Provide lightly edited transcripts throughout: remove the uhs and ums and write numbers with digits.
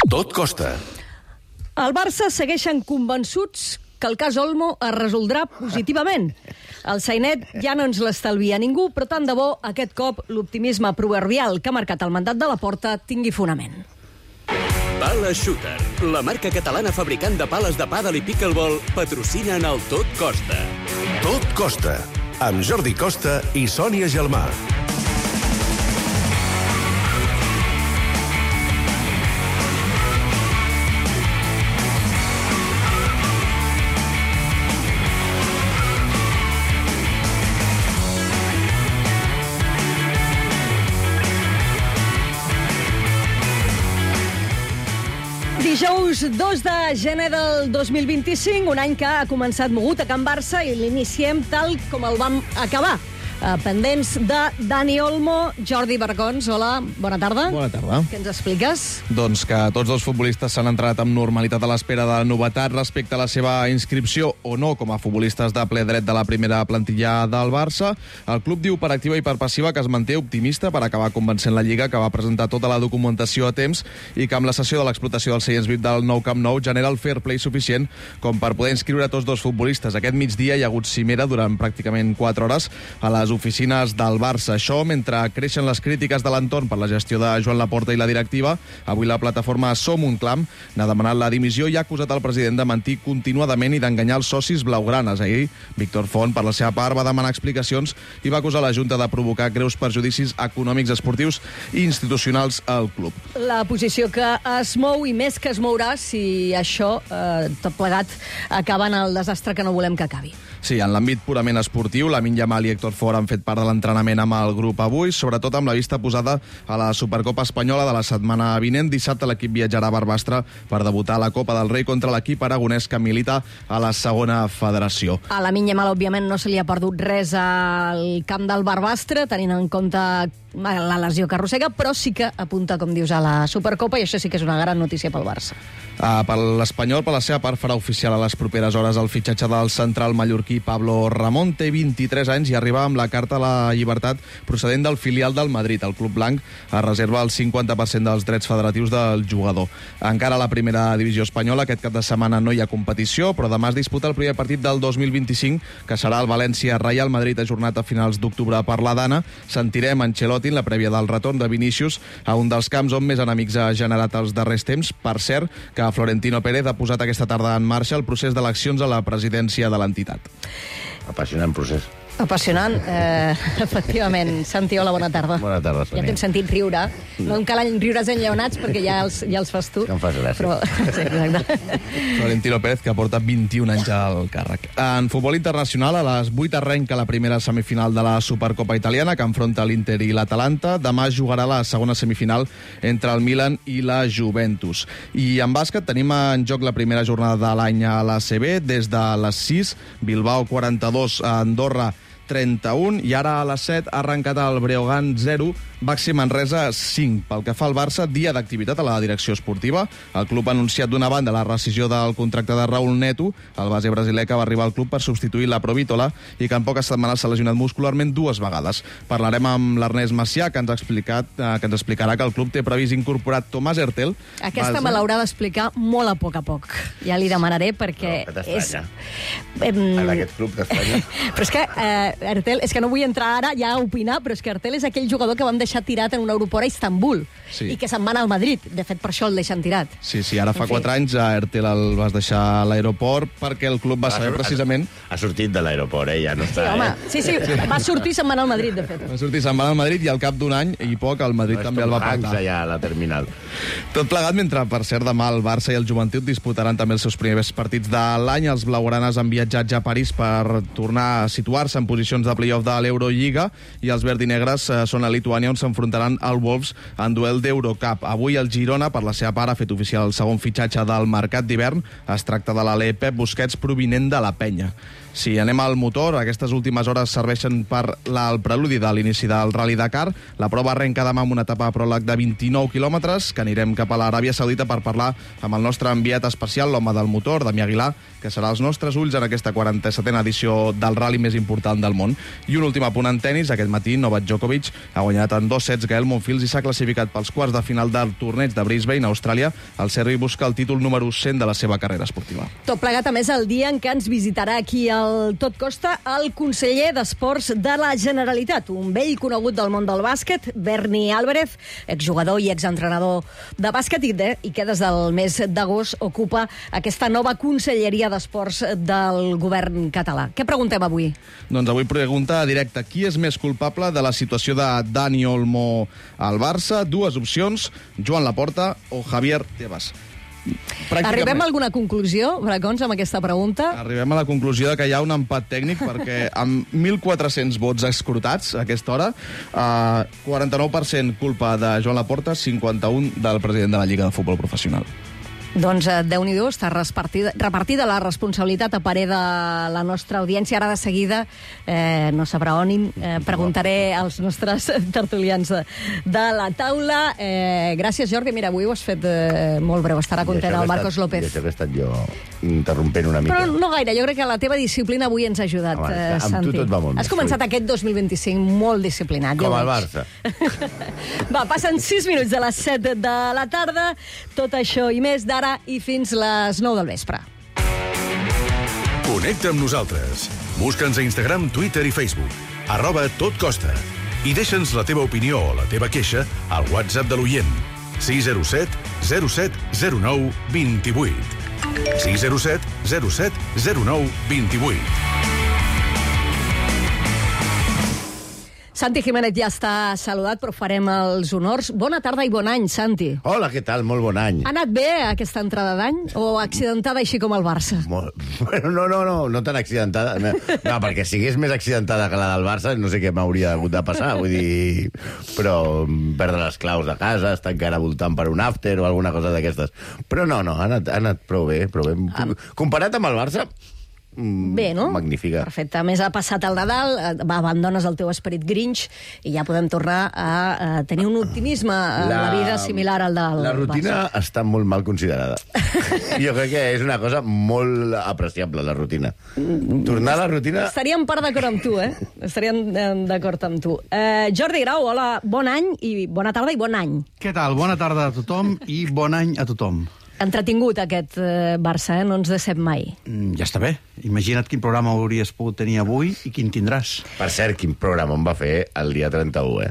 Tot costa. El Barça segueixen convençuts que el cas Olmo es resoldrà positivament. El sainet ja no ens l'estalvia ningú, però tant de bo aquest cop l'optimisme proverbial que ha marcat el mandat de Laporta tingui fonament. Pala Shooter, la marca catalana fabricant de pales de pàdel i pickleball, patrocina en el Tot Costa. Tot costa, amb Jordi Costa i Sònia Gelmà. Dijous 2 de gener del 2025, un any que ha començat mogut a Can Barça i l'iniciem tal com el vam acabar. Pendents de Dani Olmo, Jordi Bargons. Hola, bona tarda. Bona tarda. Què ens expliques? Doncs que tots els futbolistes s'han entrenat amb normalitat a l'espera de novetat respecte a la seva inscripció o no com a futbolistes de ple dret de la primera plantilla del Barça. El club diu per activa i per passiva que es manté optimista per acabar convencent la Lliga, que va presentar tota la documentació a temps i que amb la cessió de l'explotació dels seients VIP del nou Camp Nou genera el fair play suficient com per poder inscriure tots dos futbolistes. Aquest migdia hi ha hagut cimera durant pràcticament 4 hores a les oficines del Barça. Això mentre creixen les crítiques de l'entorn per la gestió de Joan Laporta i la directiva. Avui la plataforma Som un Clam n'ha demanat la dimissió i ha acusat el president de mentir continuadament i d'enganyar els socis blaugranes. Ahir, Víctor Font, per la seva part, va demanar explicacions i va acusar la Junta de provocar greus perjudicis econòmics, esportius i institucionals al club. La posició que es mou i més que es mourà si això, tot plegat, acaba en el desastre que no volem que acabi. Sí, en l'àmbit purament esportiu, Lamine Yamal i Héctor Ford han fet part de l'entrenament amb el grup avui, sobretot amb la vista posada a la Supercopa Espanyola de la setmana vinent. Dissabte l'equip viatjarà a Barbastre per debutar a la Copa del Rei contra l'equip aragonès que milita a la segona federació. A Lamine Yamal, òbviament, no se li ha perdut res al camp del Barbastre, tenint en compte la lesió que arrossega, però sí que apunta, com dius, a la Supercopa, i això sí que és una gran notícia pel Barça. Per l'Espanyol, per la seva part, farà oficial a les properes hores el fitxatge del central mallorquí Pablo Ramón. Té 23 anys i arriba amb la carta a la llibertat procedent del filial del Madrid. El club blanc es reserva el 50% dels drets federatius del jugador. Encara a la primera divisió espanyola, aquest cap de setmana no hi ha competició, però demà es disputa el primer partit del 2025, que serà el València-Real Madrid, ajornat a finals d'octubre per la Dana. Sentirem Ancelotti en la prèvia del retorn de Vinícius a un dels camps on més enemics ha generat els darrers temps. Per cert, que Florentino Pérez ha posat aquesta tarda en marxa el procés d'eleccions a la presidència de l'entitat. Apassionant procés. Apassionant, efectivament. Santi, hola, bona tarda. Bona tarda, Sònia. Ja t'hem sentit riure. No em calen riures enllaonats perquè ja els fas tu. Que em fas gràcia. Però, sí, exacte. Florentino Pérez, que porta 21 anys al càrrec. En futbol internacional, a les 8 arrenca la primera semifinal de la Supercopa italiana, que enfronta l'Inter i l'Atalanta. Demà jugarà la segona semifinal entre el Milan i la Juventus. I en bàsquet tenim en joc la primera jornada de l'any a l'ACB. Des de les 6, Bilbao 42, Andorra 31, i ara a les 7 ha arrencat el Breogán 0, Baxi Manresa 5. Pel que fa al Barça, dia d'activitat a la direcció esportiva. El club ha anunciat d'una banda la rescissió del contracte de Raúl Neto, el base brasiler que va arribar al club per substituir la Provítola i que en poques setmanes s'ha lesionat muscularment 2 vegades. Parlarem amb l'Ernest Macià, que ens explicarà que el club té previst incorporar Tomàs Hertel. Aquesta me l'haurà d'explicar molt a poc. Ja li demanaré perquè No, que és... En aquest club t'estranya. Però és que Hertel, és que no vull entrar ara ja a opinar, però és que Hertel és aquell jugador que vam deixar tirat en un aeroport a Istanbul, sí, i que se'n va anar al Madrid. De fet, per això el deixen tirat. Sí, ara fa 4 anys a Hertel el vas deixar a l'aeroport perquè el club va saber precisament... Ha sortit de l'aeroport, ja no està... Sí, home, sí, va sortir i se'n va anar al Madrid, de fet. Va sortir, se'n va anar al Madrid i al cap d'un any i poc el Madrid també el va pagar. allà a la terminal. Tot plegat mentre, per cert, demà el Barça i el Joventut disputaran també els seus primers partits de l'any. Els blaugranes han viatjat ja a París per tornar a situar-se en posicions de playoff de l'Eurolliga i els verdinegres són a Lituània, on s'enfrontaran al Wolves en duel d'Eurocup. Avui el Girona, per la seva part, ha fet oficial el segon fitxatge del mercat d'hivern. Es tracta de l'alè Pep Busquets, provinent de la Penya. Si anem al motor, aquestes últimes hores serveixen per el preludi de l'inici del Rally Dakar. La prova arrenca demà amb una etapa pròleg de 29 quilòmetres, que anirem cap a l'Aràbia Saudita per parlar amb el nostre enviat especial, l'home del motor, Damià Aguilar, que serà als nostres ulls en aquesta 47a edició del rally més important del món. I un últim apunt en tenis. Aquest matí Novak Djokovic ha guanyat en 2 sets Gael Monfils i s'ha classificat pels quarts de final del torneig de Brisbane, a Austràlia. El serbi busca el títol número 100 de la seva carrera esportiva. Tot plegat, a més, el dia en què ens visitarà aquí al Tot Costa el conseller d'Esports de la Generalitat, un vell conegut del món del bàsquet, Berni Álvarez, exjugador i exentrenador de bàsquet i que des del mes d'agost ocupa aquesta nova conselleria d'Esports del govern català. Què preguntem avui? Doncs avui pregunta directa: qui és més culpable de la situació de Dani Olmo al Barça? 2 opcions: Joan Laporta o Javier Tebas. Arribem a alguna conclusió, Bracons, amb aquesta pregunta? Arribem a la conclusió de que hi ha un empat tècnic, perquè amb 1.400 vots escrutats a aquesta hora, 49% culpa de Joan Laporta, 51% del president de la Lliga de Futbol Professional. Doncs Déu-n'hi-do, està repartida la responsabilitat a parer de la nostra audiència. Ara de seguida, no sabrà on, preguntaré als nostres tertulians de la taula. Gràcies, Jordi. Mira, avui ho has fet molt breu. Estarà content el Marcos López. I això que he estat jo interrompent una mica. Però no gaire. Jo crec que la teva disciplina avui ens ha ajudat, Santi. Amb tu tot va molt Has començat aquest 2025 molt disciplinat. Com el Barça. Va, passen 6 minuts de les 7 de la tarda. Tot això i més d'ara i fins les 9 del vespre. Connecta amb nosaltres. Busca'ns a Instagram, Twitter i Facebook. @totcosta. I deixa'ns la teva opinió o la teva queixa al WhatsApp de l'oient. 607 07 09 28. 607 07 09 28. Santi Jiménez ja està saludat, però farem els honors. Bona tarda i bon any, Santi. Hola, què tal? Molt bon any. Ha anat bé aquesta entrada d'any? O accidentada així com el Barça? Bueno, no tan accidentada. No, perquè si hagués més accidentada que la del Barça, no sé què m'hauria hagut de passar. Vull dir, però perdre les claus de casa, estar encara voltant per un after o alguna cosa d'aquestes. Però no, ha anat prou bé. Comparat amb el Barça, bé, no? Magnífica. Perfecte. A més, ha passat el Nadal, abandones el teu esperit Grinch i ja podem tornar a tenir un optimisme en la vida similar al del Barça. La rutina està molt mal considerada. Jo crec que és una cosa molt apreciable, la rutina. Tornar a la rutina... Estaríem part d'acord amb tu, Estaríem d'acord amb tu. Jordi Grau, hola, bon any i bona tarda i bon any. Què tal? Bona tarda a tothom i bon any a tothom. Entretingut aquest Barça, no ens decep mai. Ja està bé. Imagina't quin programa hauries pogut tenir avui i quin tindràs. Per cert, quin programa em va fer el dia 31,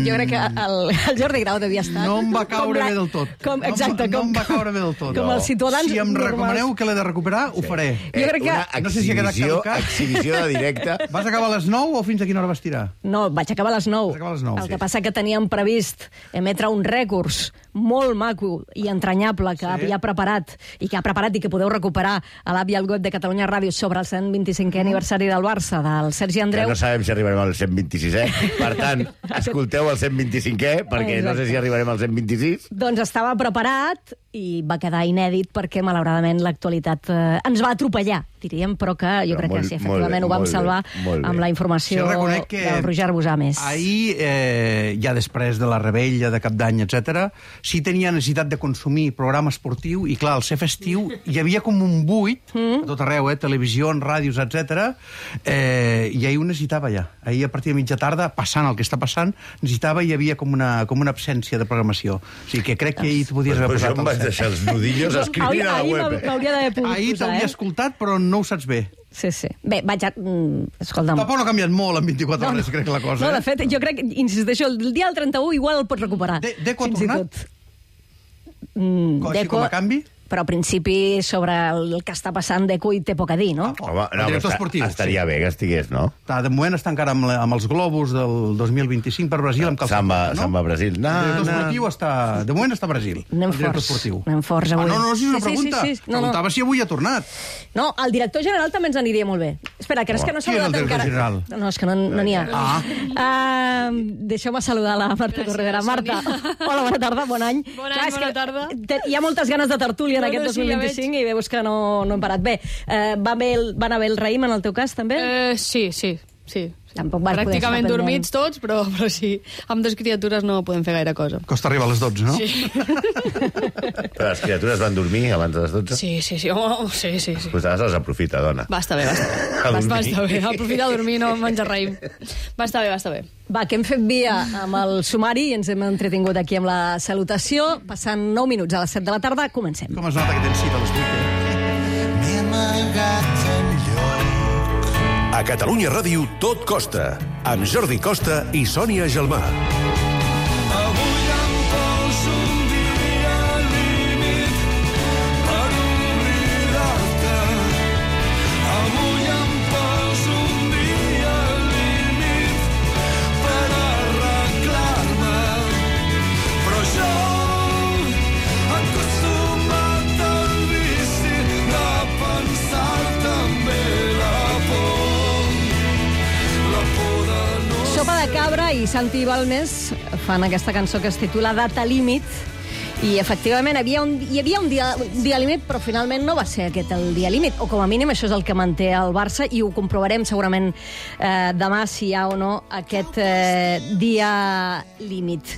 Jo crec que el Jordi Grau devia estar... No em va caure bé del tot. Exacte. No em va caure bé del tot. Com els ciutadans... Si em recomaneu que l'he de recuperar, ho faré. Jo crec que... No sé si ha quedat caducat. Exhibició de directe. Vas acabar a les 9 o fins a quina hora vas tirar? No, vaig acabar a les 9. El que passa que teníem previst emetre un rècords molt maco i entranyable que havia preparat i que ha preparat i que podeu recuperar a l'app i al web de Catalunya Ràdio sobre el 125è aniversari del Barça, del Sergi Andreu. Que no sabem si arribarem al 126è. Per tant, escolteu el 125è, perquè no sé si arribarem al 126. Doncs estava preparat i va quedar inèdit perquè, malauradament, l'actualitat ens va atropellar, diríem, però que jo crec que sí, efectivament ho vam salvar amb la informació del Roger Bosames. Ahir, ja després de la rebella de Cap d'Any, etc., sí tenia necessitat de consumir programa esportiu i, clar, al ser festiu hi havia com un buit a tot arreu, televisió, ràdios, etc. I ahir ho necessitava ja. Ahir, a partir de mitja tarda, passant el que està passant, necessitava i hi havia com una absència de programació. O sigui que crec que ahir t'ho podies haver posat al set. Deixar els nudillos escrivint a la web. M'hauria d'haver pogut posar, ahir t'hauria escoltat, però no ho saps bé. Sí. Bé, vaig a... Escolta'm. Tampoc no ha canviat molt en 24 hores, crec, la cosa. No, de fet, jo crec, insisteixo, el dia del 31 igual el pots recuperar. Deco ha tornat? Deco... Com a canvi? Però, al principi, sobre el que està passant, Deco hi té poc a dir, no? Home, el director esportiu. Estaria bé que estigués, no? De moment està encara amb els globus del 2025 per Brasil, amb Samba a Brasil. El director esportiu està... De moment està a Brasil. Anem forts avui. No, si és una pregunta. Preguntava si avui ha tornat. No, el director general també ens aniria molt bé. Espera, que és que no s'ha saludat encara. General? No, és que no n'hi ha. Deixeu-me saludar la Marta Torredera. Marta, hola, bona tarda, bon any. Bona tarda. Hi ha moltes ganes de tertúlia en aquest 2025 i veus que no hem parat. Bé, va anar bé el raïm en el teu cas, també? Sí. Tampoc vas poder Pràcticament estar dormits tots, però sí. Amb 2 criatures no podem fer gaire cosa. Costa arribar a les 12, no? Sí. Però les criatures van dormir abans de les 12? Sí. Oh, sí. Pues ara se'ls aprofita, dona. Va estar bé. A dormir. Va estar bé. Aprofitar a dormir, no menjar raïm. Va estar bé. Va, que hem fet via amb el sumari i ens hem entretingut aquí amb la salutació. Passant 9 minuts a les 7 de la tarda, comencem. Com es nota que tens cita a les 8? M'he amagat enlloc. A Catalunya Ràdio tot costa, amb Jordi Costa i Sònia Gelmà. Avui em poso un dia límit per oblidar-te. Avui em poso un dia límit per arreglar-me. Però jo, acostumat al vici de pensar també la por. Sopa de Cabra i Santi Balmes fan aquesta cançó que es titula Data Límit i efectivament hi havia un dia límit, però finalment no va ser aquest el dia límit, o com a mínim això és el que manté el Barça i ho comprovarem segurament demà si hi ha o no aquest dia límit.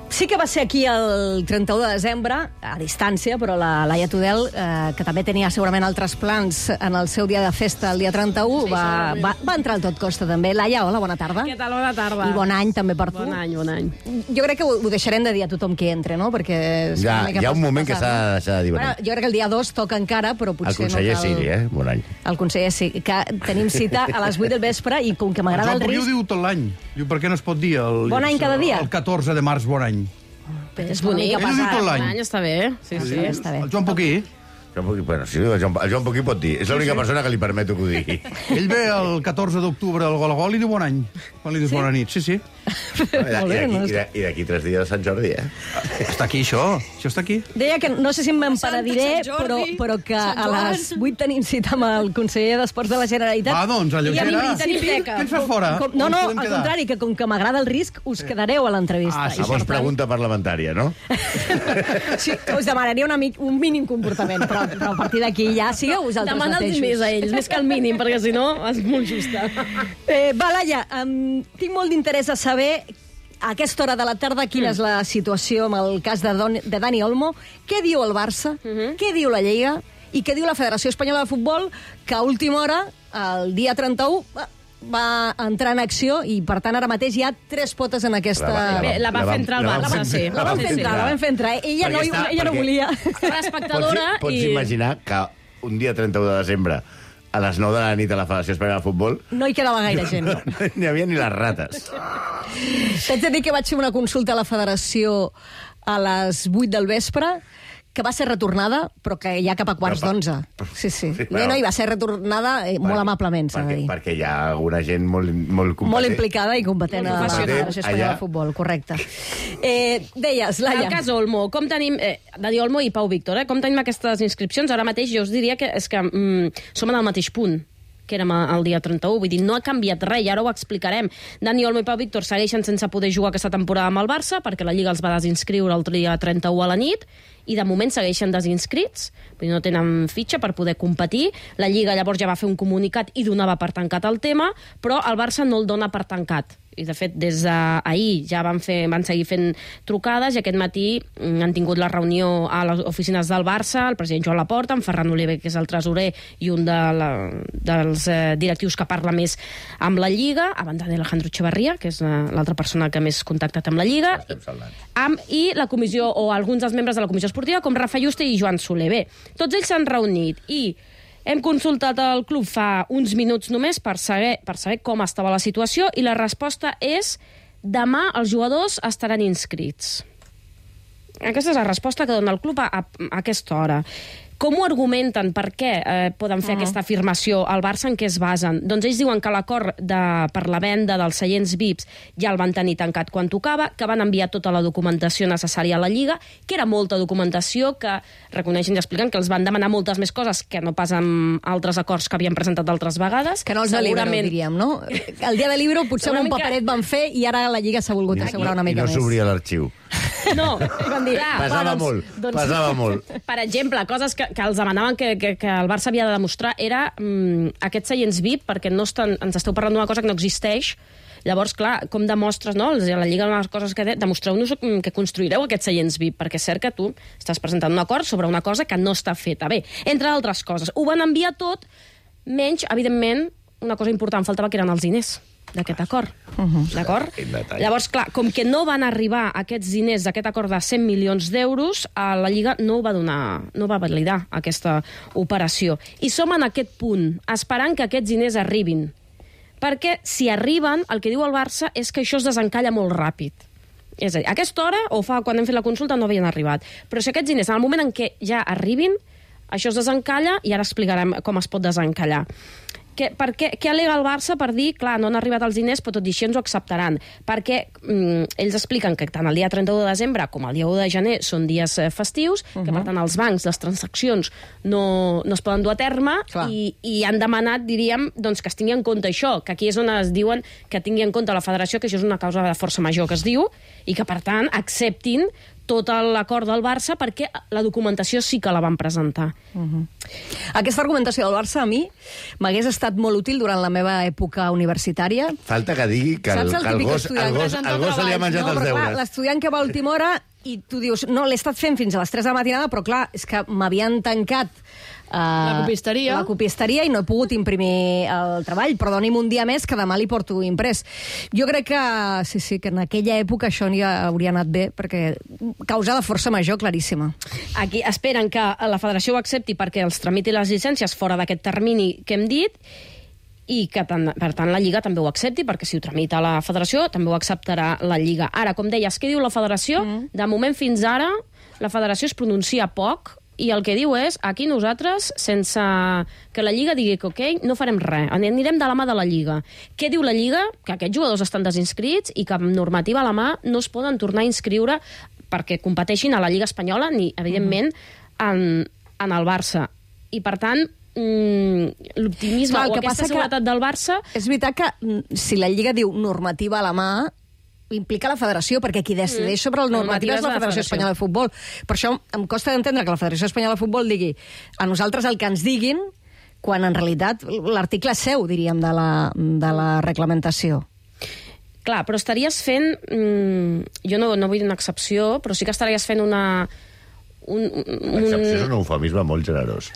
Sí que va ser aquí el 31 de desembre, a distància, però la Laia Tudel, que també tenia segurament altres plans en el seu dia de festa el dia 31, va entrar al Tot Costa també. Laia, hola, bona tarda. Què tal, bona tarda. I bon any també per tu. Bon any. Jo crec que ho deixarem de dir a tothom que entre, no? Perquè Ja, hi ha un moment que s'ha de deixar de dir bon any. Jo crec que el dia 2 toca encara, però potser El conseller no cal... Siri, bon any. El conseller sí, que tenim cita a les 8 del vespre i com que m'agrada el Joan Pugui ho risc... diu tot l'any. Diu, per què no es pot dir Bon any cada dia? El 14 de març, bon any. És bonic. Ell ho diu tot l'any. Bon any està bé. Sí. Està bé. El Joan Pugui, Bueno, sí, el Joan Pugui pot dir. És l'única persona que li permeto que ho digui. ell ve el 14 d'octubre al Gol a Gol i diu bon any. Quan li dius bona nit, sí. I d'aquí 3 dies de Sant Jordi, Està aquí, això. Això està aquí. Deia que no sé si me'n paradiré, Sant Jordi, però que Sant a Joan. les 8 tenim cita amb el conseller d'Esports de la Generalitat. Va, doncs, alleugera. Què ens fas fora? No, On no, podem al quedar? contrari, que com que m'agrada el risc, us quedareu a l'entrevista. Ah, sí, I Llavors per tant, pregunta parlamentària, no? Sí, us demanaria un mínim comportament, però a partir d'aquí ja sigueu vosaltres Demana els mateixos. diners a ells, més que el mínim, perquè si no és molt justa. Va, Laia, tinc molt d'interès a saber a aquesta hora de la tarda quina és la situació amb el cas de Dani Olmo, què diu el Barça, què diu la Lliga i què diu la Federació Espanyola de Futbol, que a última hora, el dia 31, va entrar en acció i, per tant, ara mateix hi ha 3 potes en aquesta... Bé, la va fer entrar al Barça, sí. La van fer entrar. Ella no volia. Era espectadora Pots i... imaginar que un dia 31 de desembre a les 9 de la nit a la Federació Espanyola de Futbol No hi quedava gaire gent. no n'hi havia ni les rates. T'haig de dir que vaig fer una consulta a la Federació a les 8 del vespre, que va ser retornada, però que ja cap a quarts d'11. Sí. No, i va ser retornada molt amablement, s'ha de dir. Perquè hi ha alguna gent molt competent. Molt implicada i competent a la Federació Espanyola de Futbol, correcte. Deies, Laia... El cas Olmo, com tenim... Dani Olmo i Pau Víctor, com tenim aquestes inscripcions? Ara mateix jo us diria que som en el mateix punt que érem el dia 31, vull dir, no ha canviat res, i ara ho explicarem. Dani Olmo i Pau Víctor segueixen sense poder jugar aquesta temporada amb el Barça, perquè la Lliga els va desinscriure el dia 31 a la nit, i de moment segueixen desinscrits, vull dir, no tenen fitxa per poder competir. La Lliga llavors ja va fer un comunicat i donava per tancat el tema, però el Barça no el dona per tancat. I, de fet, des d'ahir ja van seguir fent trucades i aquest matí han tingut la reunió a les oficines del Barça, el president Joan Laporta, en Ferran Oliver, que és el tresorer, i un dels directius que parla més amb la Lliga, a banda d'Alejandro Echevarría, que és l'altra persona que més contactat amb la Lliga, i la comissió, o alguns dels membres de la comissió esportiva, com Rafa Juste i Joan Soler. Bé, tots ells s'han reunit i hem consultat el club fa uns minuts només per saber com estava la situació i la resposta és: demà els jugadors estaran inscrits. Aquesta és la resposta que dona el club a aquesta hora. Com ho argumenten? Per què poden fer aquesta afirmació? Al Barça en què es basen? Doncs ells diuen que l'acord per la venda dels seients VIPs ja el van tenir tancat quan tocava, que van enviar tota la documentació necessària a la Lliga, que era molta documentació, que reconeixen i expliquen que els van demanar moltes més coses que no pas amb altres acords que havien presentat d'altres vegades. Que no els de Libro, diríem, no? El dia de Libro potser un paperet van fer i ara la Lliga s'ha volgut assegurar una mica més. I no s'obria l'arxiu. No, van dir, pesava molt. Per exemple, coses que els demanaven que el Barça havia de demostrar era aquests seients VIP, perquè no ens esteu parlant d'una cosa que no existeix. Llavors, clar, com demostres, no? La Lliga, una de les coses que demostreu-nos que construireu aquests seients VIP, perquè és cert que tu estàs presentant un acord sobre una cosa que no està feta bé. Entre altres coses. Ho van enviar tot, menys, evidentment, una cosa important, faltava que eren els diners d'aquest acord. D'acord? Llavors, clar, com que no van arribar aquests diners d'aquest acord de 100 milions d'euros, la Lliga no va validar aquesta operació. I som en aquest punt, esperant que aquests diners arribin. Perquè si arriben, el que diu el Barça és que això es desencalla molt ràpid. És a dir, a aquesta hora, o quan hem fet la consulta, no havien arribat. Però si aquests diners, en el moment en què ja arribin, això es desencalla i ara explicarem com es pot desencallar. Què al·lega el Barça per dir, clar, no han arribat els diners, però tot i així ens ho acceptaran? Perquè ells expliquen que tant el dia 31 de desembre com el dia 1 de gener són dies festius, que per tant els bancs, les transaccions no es poden dur a terme i han demanat, diríem, doncs, que es tingui en compte això, que aquí és on es diuen que tingui en compte la federació, que això és una causa de força major que es diu, i que per tant acceptin tot l'acord del Barça perquè la documentació sí que la van presentar. Aquesta argumentació del Barça a mi m'hagués estat molt útil durant la meva època universitària. Falta que digui que el gos se li ha menjat els deures. L'estudiant que va a última hora i tu dius, no, l'he estat fent fins a les 3 de la matinada, però clar, és que m'havien tancat la copisteria i no he pogut imprimir el treball, però doni'm un dia més que demà li porto imprès. Jo crec que sí, que en aquella època això ja hauria anat bé, perquè causa de força major claríssima. Aquí esperen que la federació ho accepti perquè els tramiti les llicències fora d'aquest termini que hem dit, i que, per tant, la Lliga també ho accepti, perquè si ho tramita la federació, també ho acceptarà la Lliga. Ara, com deies, què diu la federació? De moment fins ara, la federació es pronuncia poc, i el que diu és, aquí nosaltres, sense que la Lliga digui que ok, no farem res, anirem de la mà de la Lliga. Què diu la Lliga? Que aquests jugadors estan desinscrits i que amb normativa a la mà no es poden tornar a inscriure perquè competeixin a la Lliga Espanyola ni, evidentment, en el Barça. I, per tant, l'optimisme o aquesta seguretat del Barça... És veritat que si la Lliga diu normativa a la mà, implica la federació, perquè qui decideix sobre la normativa és la Federació Espanyola de Futbol. Per això em costa d'entendre que la Federació Espanyola de Futbol digui a nosaltres el que ens diguin, quan en realitat l'article seu, diríem, de la reglamentació. Clar, però estaries fent... Jo no vull dir una excepció, però sí que estaries fent una... L'excepció és un eufemisme molt generós.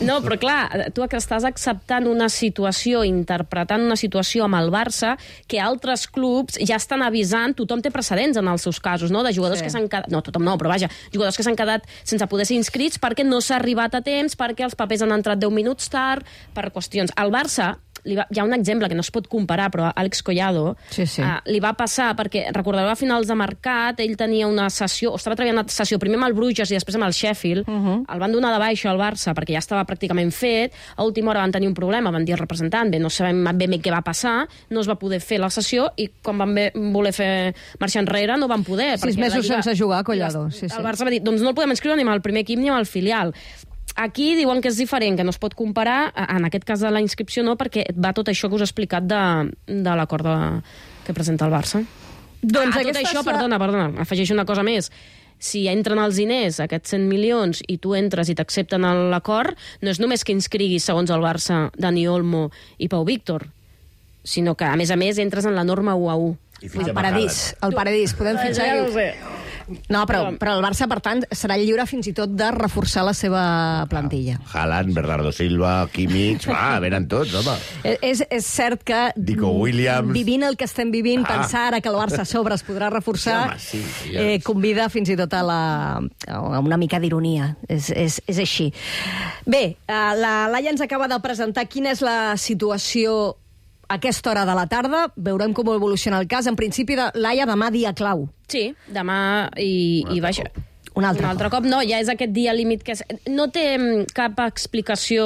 No, però clar, tu estàs acceptant una situació, interpretant una situació amb el Barça que altres clubs ja estan avisant, tothom té precedents en els seus casos, no? De jugadors que s'han quedat... No, tothom no, però vaja, jugadors que s'han quedat sense poder ser inscrits perquè no s'ha arribat a temps, perquè els papers han entrat 10 minuts tard, per qüestions. El Barça... Hi ha un exemple que no es pot comparar, però Àlex Collado li va passar, perquè recordareu a finals de mercat, ell tenia una sessió, o estava treballant una sessió primer amb el Bruges i després amb el Sheffield, el van donar de baixa al Barça perquè ja estava pràcticament fet, a última hora van tenir un problema, van dir al representant, no sabem ben bé què va passar, no es va poder fer la sessió i quan van voler fer marxar enrere no van poder. 6 mesos sense jugar, Collado. El Barça va dir, doncs no el podem inscriure ni amb el primer equip ni amb el filial. Aquí diuen que és diferent, que no es pot comparar, en aquest cas de la inscripció no, perquè va tot això que us he explicat de l'acord que presenta el Barça. Doncs tot això, perdona, afegeixo una cosa més. Si entren els diners, aquests 100 milions, i tu entres i t'accepten l'acord, no és només que inscriguis, segons el Barça, Dani Olmo i Pau Víctor, sinó que, a més, entres en la norma 1-1. El paradís. Podem fitxar... Ja ho sé. No, però el Barça, per tant, serà lliure fins i tot de reforçar la seva plantilla. Haaland, Bernardo Silva, Kimmich, venen tots, home. És cert que, Nico Williams, vivint el que estem vivint, pensar ara que el Barça a sobre es podrà reforçar, convida fins i tot a una mica d'ironia. És així. Bé, la Laia ens acaba de presentar quina és la situació a aquesta hora de la tarda. Veurem com evoluciona el cas. En principi, Laia, demà dia clau. Sí, demà i vaja. Un altre cop. No, ja és aquest dia límit que no té cap explicació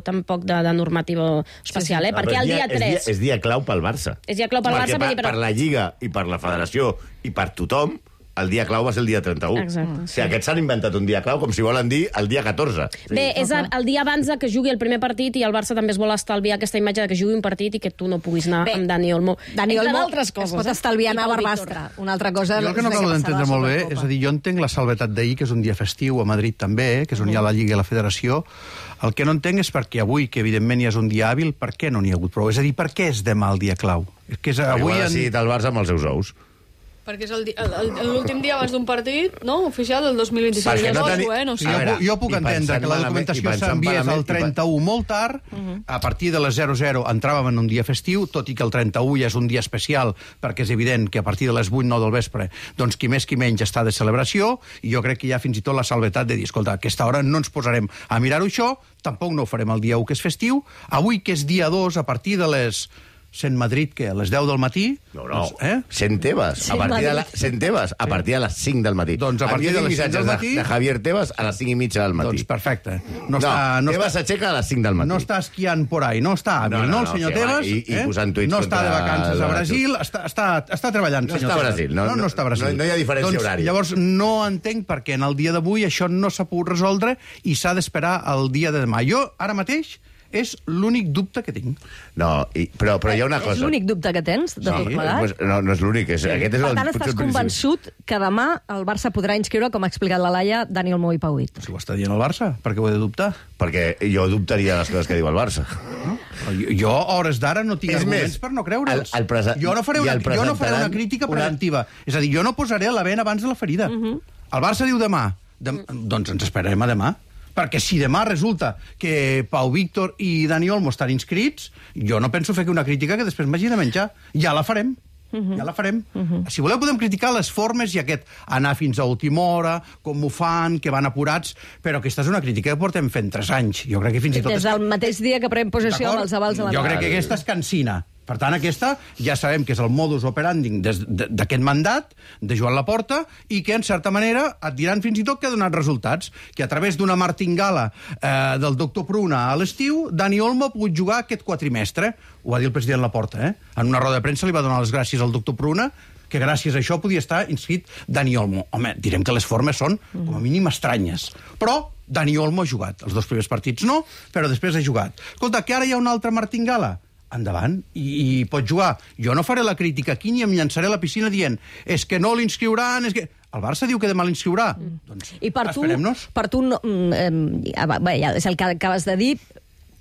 tampoc de normativa especial, perquè el dia 3... És dia clau pel Barça. És dia clau pel Barça. Perquè per la Lliga i per la Federació i per tothom, el dia clau va ser el dia 31. Exacte. O sigui, aquests s'han inventat un dia clau com si volen dir el dia 14. Bé, és el dia abans que jugui el primer partit i el Barça també es vol estalviar aquesta imatge de que jugui un partit i que tu no puguis anar amb Dani Olmo. Dani Olmo es pot estalviar anar a Barbastre. Una altra cosa... Jo el que no acabo d'entendre molt bé, és a dir, jo entenc la salvetat d'ahir, que és un dia festiu a Madrid també, que és on hi ha la Lliga i la Federació. El que no entenc és perquè avui, que evidentment ja és un dia hàbil, per què no n'hi ha hagut prou? És a dir, per què és demà el dia clau? És que avui ha decidit el Barça amb els seus ous. Perquè és l'últim dia abans d'un partit, no? Oficial del 2026. No sé. Jo puc entendre que la documentació s'enviés el 31 molt tard, a partir de les 00 entràvem en un dia festiu, tot i que el 31 ja és un dia especial, perquè és evident que a partir de les 8-9 del vespre, doncs qui més qui menys està de celebració, i jo crec que hi ha fins i tot la salvetat de dir, escolta, a aquesta hora no ens posarem a mirar-ho això, tampoc no ho farem el dia 1, que és festiu, avui, que és dia 2, a partir de les... Sent Madrid, que a les 10 del matí... No. Sent Tebas. Sent Tebas, a partir de les 5 del matí. Doncs a partir de les 5 del matí... de Javier Tebas a les 5 i mitja del matí. Doncs perfecte. Tebas s'aixeca a les 5 del matí. No està esquiant por ahí, no està hàbil, no, el senyor Tebas? I posant tuits no està de vacances a Brasil, està treballant, senyor Tebas. No està a Brasil. No està a Brasil. No hi ha diferència horària. Llavors, no entenc perquè en el dia d'avui això no s'ha pogut resoldre i s'ha d'esperar el dia de demà. Jo, ara mateix, és l'únic dubte que tinc. No, però hi ha una cosa. És l'únic dubte que tens, de tot plegat? No és l'únic. Aquest és per tant, estàs convençut que demà el Barça podrà inscriure, com ha explicat la Laia, Dani Olmo i Pau Víctor. Si ho està dient el Barça, per què ho he de dubtar? Perquè jo dubtaria les coses que diu el Barça. Jo, a hores d'ara, no tinc arguments per no creure'ls. Jo no faré una crítica preventiva. És a dir, jo no posaré la vena abans de la ferida. El Barça diu demà. Doncs ens esperarem a demà. Perquè si demà resulta que Pau Víctor i Dani Olmo estan inscrits, jo no penso fer una crítica que després m'hagi de menjar. Ja la farem. Ja la farem. Si voleu podem criticar les formes i aquest anar fins a última hora, com ho fan, que van apurats, però aquesta és una crítica que portem fent 3 anys. Jo crec que fins i tot... Des del mateix dia que pren possessió amb els avals de la... Jo crec que aquesta és cansina. Per tant, aquesta ja sabem que és el modus operandi d'aquest mandat de Joan Laporta i que, en certa manera, et diran fins i tot que ha donat resultats. Que a través d'una martingala del doctor Pruna a l'estiu, Dani Olmo ha pogut jugar aquest quatrimestre. Ho va dir el president Laporta, En una roda de premsa li va donar les gràcies al doctor Pruna, que gràcies a això podia estar inscrit Dani Olmo. Home, direm que les formes són, com a mínim, estranyes. Però Dani Olmo ha jugat. Els 2 primers partits no, però després ha jugat. Escolta, que ara hi ha una altra martingala. Endavant, i pot jugar. Jo no faré la crítica aquí ni em llançaré a la piscina dient és que no l'inscriuran, és que... El Barça diu que demà l'inscriurà. Doncs esperem-nos. Per tu, ja és el que acabes de dir,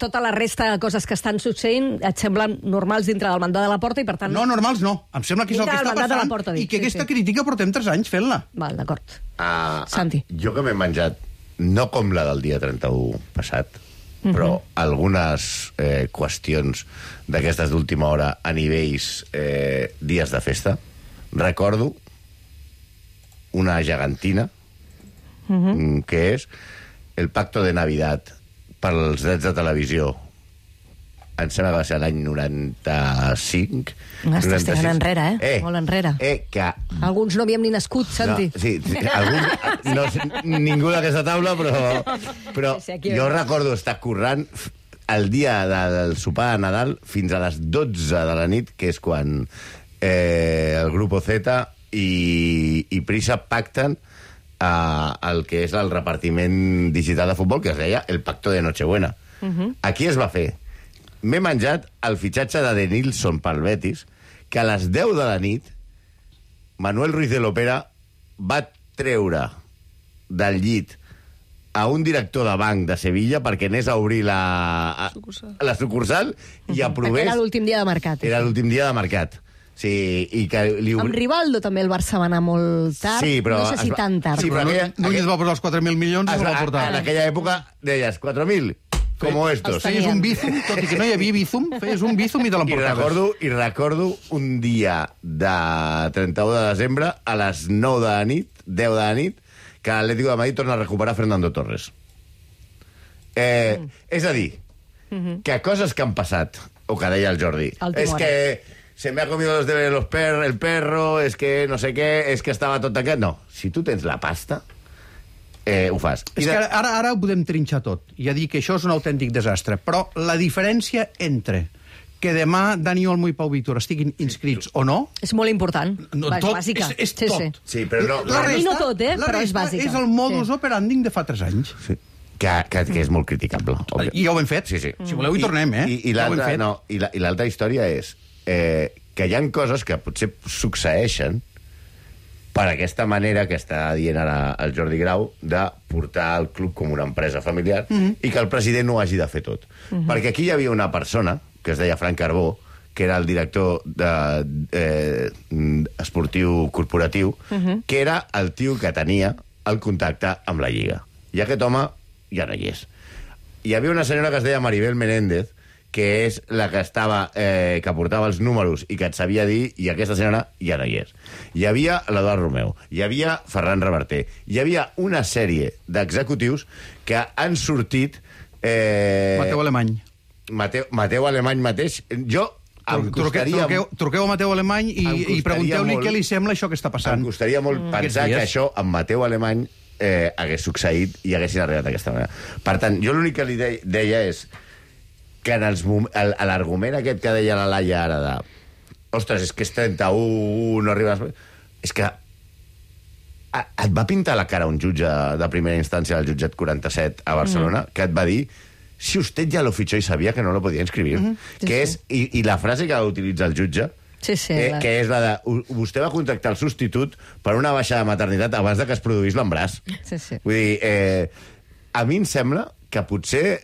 tota la resta de coses que estan succeint et semblen normals dintre del mandat de la Porta i, per tant... No, normals no. Em sembla que és el que està passant i que aquesta crítica portem 3 anys fent-la. Val, d'acord. Santi. Jo que m'he menjat, no com la del dia 31 passat, però algunes qüestions d'aquestes d'última hora a nivells dies de festa. Recordo una gegantina que és el pacto de Navidad pels drets de televisió. Em sembla que va ser l'any 95. Estàs tirant enrere, molt enrere. Que... Alguns no havíem ni nascut, Santi. No, sí, alguns... ningú d'aquesta taula, però jo recordo estar currant el dia del sopar de Nadal fins a les 12 de la nit, que és quan el Grupo Z i Prisa pacten el que és el repartiment digital de futbol, que es deia el Pacto de Nochebuena. Aquí es va fer. M'he menjat el fitxatge de Denilson pel Betis, que a les 10 de la nit Manuel Ruiz de l'Opera va treure del llit a un director de banc de Sevilla perquè anés a obrir la sucursal i aprovés... Era l'últim dia de mercat. Era l'últim dia de mercat. Sí, i que amb Rivaldo també el Barça va anar molt tard, sí, però, no sé si tan tard. Sí, però Núñez va posar els 4.000 milions i va portar. En aquella època deies 4.000, com estos. Feies un bízum, tot i que no hi havia bízum, feies un bízum i te l'emportaves. I recordo un dia de 31 de desembre, a les 9 de la nit, 10 de la nit, que l'Atlético de Madrid torna a recuperar Fernando Torres. És a dir, que coses que han passat, o que deia el Jordi, és que se me ha comido los deberes el perro, es que no sé què, és que estava tot aquest... No, si tu tens la pasta, ho fas. És que ara ho podem trinxar tot. Ja dic que això és un autèntic desastre. Però la diferència entre que demà Dani Olmo i Pau Víctor estiguin inscrits o no... És molt important. És tot, bàsica. És tot. Sí, però no... Per mi no tot, però és bàsica. És el modus operandi de fa 3 anys. Sí. Que és molt criticable. I ja ho hem fet. Sí. Si voleu hi tornem, I l'altra història és que hi ha coses que potser succeeixen per aquesta manera que està dient ara el Jordi Grau de portar el club com una empresa familiar i que el president no ho hagi de fer tot. Perquè aquí hi havia una persona que es deia Frank Carbó, que era el director esportiu corporatiu, que era el tio que tenia el contacte amb la Lliga. I aquest home ja no hi és. Hi havia una senyora que es deia Maribel Menéndez, que és la que estava, que portava els números i que et sabia dir, i aquesta senyora ja no hi és. Hi havia l'Eduard Romeu, hi havia Ferran Reverter, hi havia una sèrie d'executius que han sortit... Mateu Alemany. Mateu Alemany mateix. Jo em costaria... Truqueu a Mateu Alemany i pregunteu-li què li sembla això que està passant. Em costaria molt pensar que això amb Mateu Alemany hagués succeït i haguessin arribat d'aquesta manera. Per tant, jo l'únic que li deia és que l'argument aquest que deia la Laia ara de ostres, és que és 31, no arribes... És que et va pintar la cara un jutge de primera instància del jutjat 47 a Barcelona, que et va dir si usted ya lo fichó y sabía que no lo podía inscribir. Que és, i la frase que utilitza el jutge, que és la de vostè va contactar el substitut per una baixa de maternitat abans de que es produís l'embràs. Vull dir, a mi em sembla que potser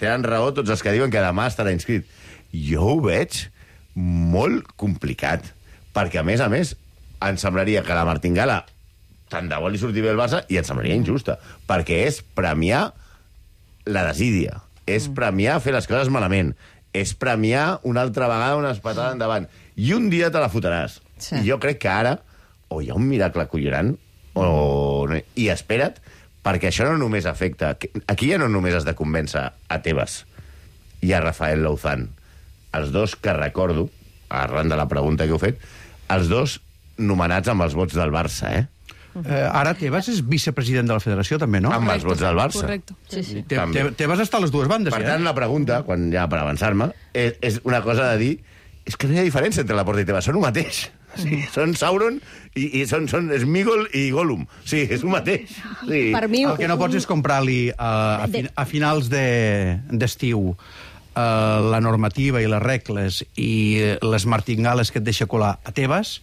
tenen raó tots els que diuen que demà estarà inscrit. Jo ho veig molt complicat, perquè, a més, em semblaria que la martingala tant de bo li surti bé el Barça i em semblaria injusta, perquè és premiar la desídia, és premiar fer les coses malament, és premiar una altra vegada una espatada endavant, i un dia te la fotràs. I jo crec que ara o hi ha un miracle collonant i espera't, perquè això no només afecta... Aquí ja no només has de convèncer a Tebas i a Rafael Louzán, els dos que recordo, arran de la pregunta que heu fet, els dos nomenats amb els vots del Barça, Ara Tebas és vicepresident de la federació, també, no? Amb els vots del Barça. Correcte. Tebas està a les dues bandes, Per tant, la pregunta, quan ja per avançar-me, és una cosa de dir és que no hi ha diferència entre la Porta i Tebas, són un mateix. Sí, són Sauron i són Smigol i Gollum. Sí, és un mateix. Sí. Per mi, el que no pots és comprar-li a finals d'estiu la normativa i les regles i les martingales que et deixa colar a Tebas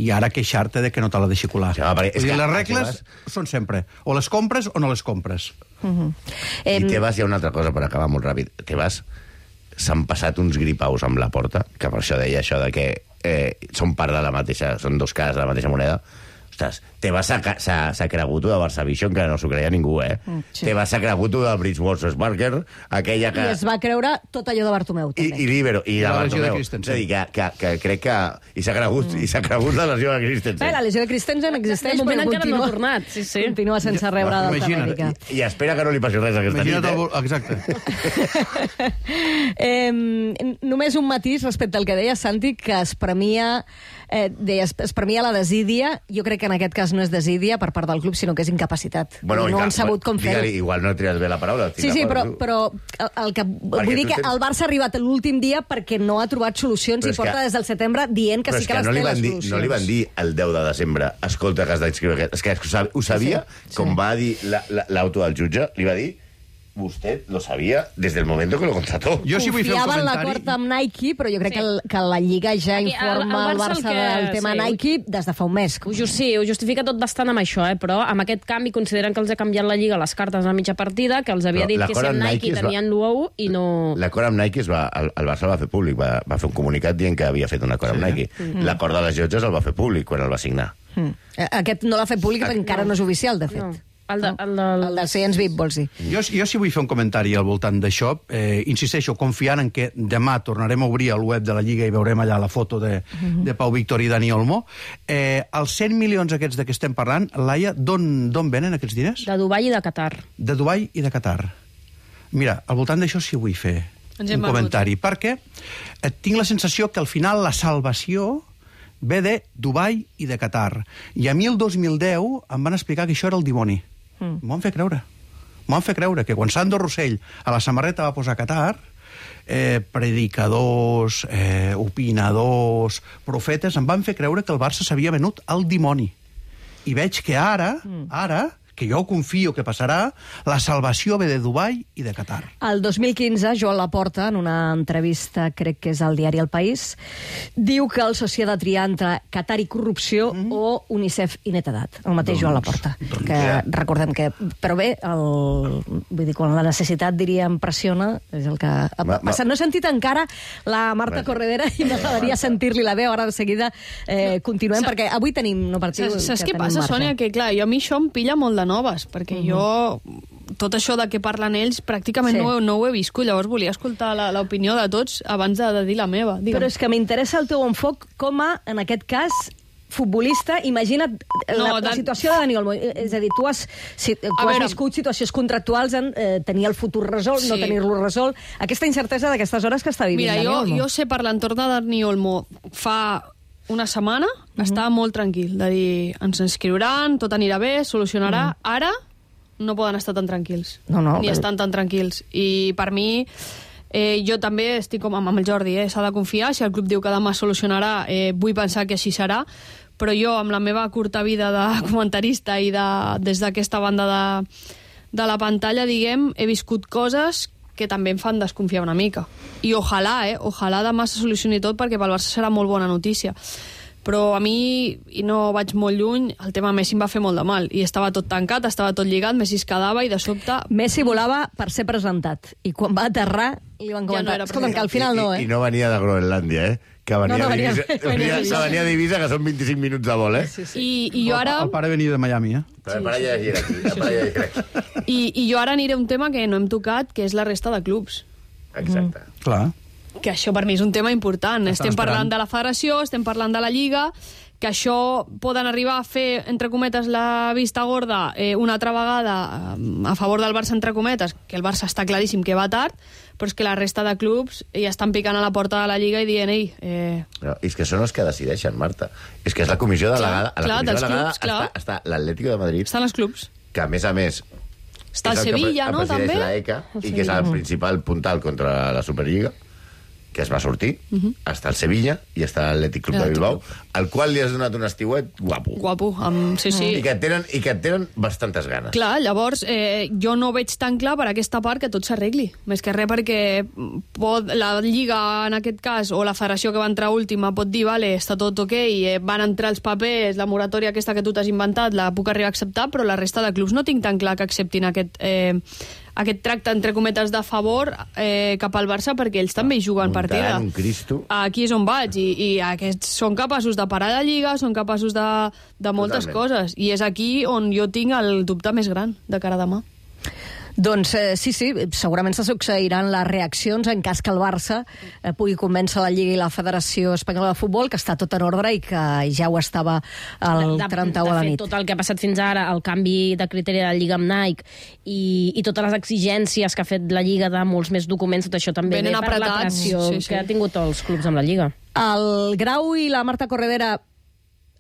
i ara queixar-te de que no te la deixi colar. Ja, les regles són sempre o les compres o no les compres. I Tebas, hi ha una altra cosa per acabar molt ràpid. Tebas s'han passat uns gripaus amb la Porta, que per això deia això de que són part de la mateixa, són dos cares de la mateixa moneda. Ostres, Tebas s'ha cregut de Barça Vision, que no s'ho creia ningú, Sí. Tebas s'ha cregut de Bridgewater Barker, aquella que... I es va creure tot allò de Bartomeu, també. I l'Ibero, i de la lesió de Bartomeu. Christensen. És a dir, que crec que... I s'ha cregut la lesió de Christensen. La lesió de Christensen existeix, De moment però encara no ha tornat, sí. Continua sense rebre d'alta mèdica. I espera que no li passi res aquesta nit, Exacte. Només un matís respecte al que deia Santi, que es premia la desídia. Jo crec que en aquest cas no és desídia per part del club, sinó que és incapacitat. Bueno, no han sabut com fer-ho. Igual no trias bé la paraula. Sí, però vull dir que el Barça ha arribat l'últim dia perquè no ha trobat solucions i porta des del setembre dient que sí que les té les solucions. No li van dir el 10 de desembre, escolta, que has d'inscriure aquest. És que ho sabia, com va dir l'auto del jutge, li va dir usted lo sabía desde el momento que lo contrató. Jo sí vull fer un Confiava en comentari. l'acord amb Nike, però jo crec que la Lliga ja informa el Barça del tema Nike des de fa un mes. Ho justifica tot bastant amb això, però amb aquest canvi consideren que els ha canviat la Lliga les cartes a mitja partida, que els havia dit que si amb Nike tenien l'1 i no... L'acord amb Nike el Barça va fer públic, va fer un comunicat dient que havia fet un acord amb Nike. L'acord de les llotges el va fer públic quan el va signar. Aquest no l'ha fet públic perquè encara no és oficial, de fet. No. El de Science VIP, vols dir? Jo sí vull fer un comentari al voltant d'això. Insisteixo, confiant en que demà tornarem a obrir el web de la Lliga i veurem allà la foto de Pau Víctor i Dani Olmo. Els 100 milions aquests de què estem parlant, Laia, d'on venen aquests diners? De Dubai i de Qatar. De Dubai i de Qatar. Mira, al voltant d'això sí vull fer un comentari, perquè tinc la sensació que al final la salvació ve de Dubai i de Qatar. I a mi el 2010 em van explicar que això era el dimoni. M'ho van fer creure. M'ho van fer creure que quan Sandro Rossell a la samarreta va posar Qatar, predicadors, opinadors, profetes, em van fer creure que el Barça s'havia venut al dimoni. I veig que ara, que jo confio que passarà, la salvació ve de Dubai i de Qatar. El 2015, Joan Laporta, en una entrevista, crec que és al diari El País, diu que el soci ha de triar entre Qatar i corrupció o UNICEF i netedat. El mateix Joan Laporta. Que recordem que... Però bé, vull dir, quan la necessitat, diríem, pressiona, és el que ha passat. No he sentit encara la Marta Corredera i m'agradaria sentir-li la veu. Ara de seguida continuem, perquè avui tenim no partiu. Saps què passa, Sònia? Que clar, a mi això em pilla molt de noves, perquè jo tot això de què parlen ells pràcticament no ho he viscut, llavors volia escoltar l'opinió de tots abans de dir la meva. Digue'm. Però és que m'interessa el teu enfoc com a, en aquest cas, futbolista. Imagina't la situació de Dani Olmo. És a dir, tu has viscut situacions contractuals en tenir el futur resolt, no tenir-lo resolt. Aquesta incertesa d'aquestes hores que està vivint Dani Olmo. Mira, jo sé per l'entorn de Dani Olmo fa una setmana, estava molt tranquil, de dir, ens inscriuran, tot anirà bé, solucionarà. Ara no poden estar tan tranquils. Ni estan tan tranquils. I per mi, jo també estic com amb el Jordi, s'ha de confiar, si el club diu que demà solucionarà, vull pensar que així serà, però jo, amb la meva curta vida de comentarista i des d'aquesta banda de la pantalla, diguem, he viscut coses que també em fan desconfiar una mica. I ojalà demà se solucioni tot, perquè pel Barça serà molt bona notícia. Però a mi, i no vaig molt lluny, el tema Messi em va fer molt de mal. I estava tot tancat, estava tot lligat, Messi es quedava i de sobte... Messi volava per ser presentat. I quan va aterrar, li van comentar... Escolta'm, que al final no, I no venia de Groenlàndia, que venia a Divisa, que són 25 minuts de vol, I jo ara... El pare venia de Miami, Però el pare ja era aquí. I jo ara aniré a un tema que no hem tocat, que és la resta de clubs. Exacte. Clar. Que això per mi és un tema important. Estem parlant de la federació, estem parlant de la Lliga, que això poden arribar a fer, entre cometes, la vista gorda una altra vegada a favor del Barça, entre cometes, que el Barça està claríssim que va tard, però és que la resta de clubs ja estan picant a la porta de la Lliga i dient, No, és que són els que decideixen, Marta. És que és la comissió delegada. A la comissió delegada està l'Atlético de Madrid. Estan els clubs. Que, a més, està el Sevilla, no, també? El presideix la ECA, i que és el principal puntal contra la Superliga, que es va sortir, està el Sevilla i està l'Atlètic Club de Bilbao, al qual li has donat un estiuet guapo. Guapo, sí. I que et tenen bastantes ganes. Clar, llavors, jo no veig tan clar per aquesta part que tot s'arregli. Més que res perquè la Lliga, en aquest cas, o la federació que va entrar última, pot dir, vale, està tot ok, van entrar els papers, la moratòria aquesta que tu t'has inventat, la puc arribar a acceptar, però la resta de clubs no tinc tan clar que acceptin aquest tracte, entre cometes, de favor cap al Barça, perquè ells també hi juguen partida. Un Cristo. Aquí és on vaig, i aquests són capaços de parar la Lliga, són capaços de moltes coses, i és aquí on jo tinc el dubte més gran de cara a demà. Doncs sí, segurament se succeiran les reaccions en cas que el Barça pugui convèncer la Lliga i la Federació Espanyola de Futbol, que està tot en ordre i que ja ho estava el 31 a la nit. Tot el que ha passat fins ara, el canvi de criteri de la Lliga amb Nike i totes les exigències que ha fet la Lliga de molts més documents, tot això també ve per la pressió que ha tingut els clubs amb la Lliga. El Grau i la Marta Corredera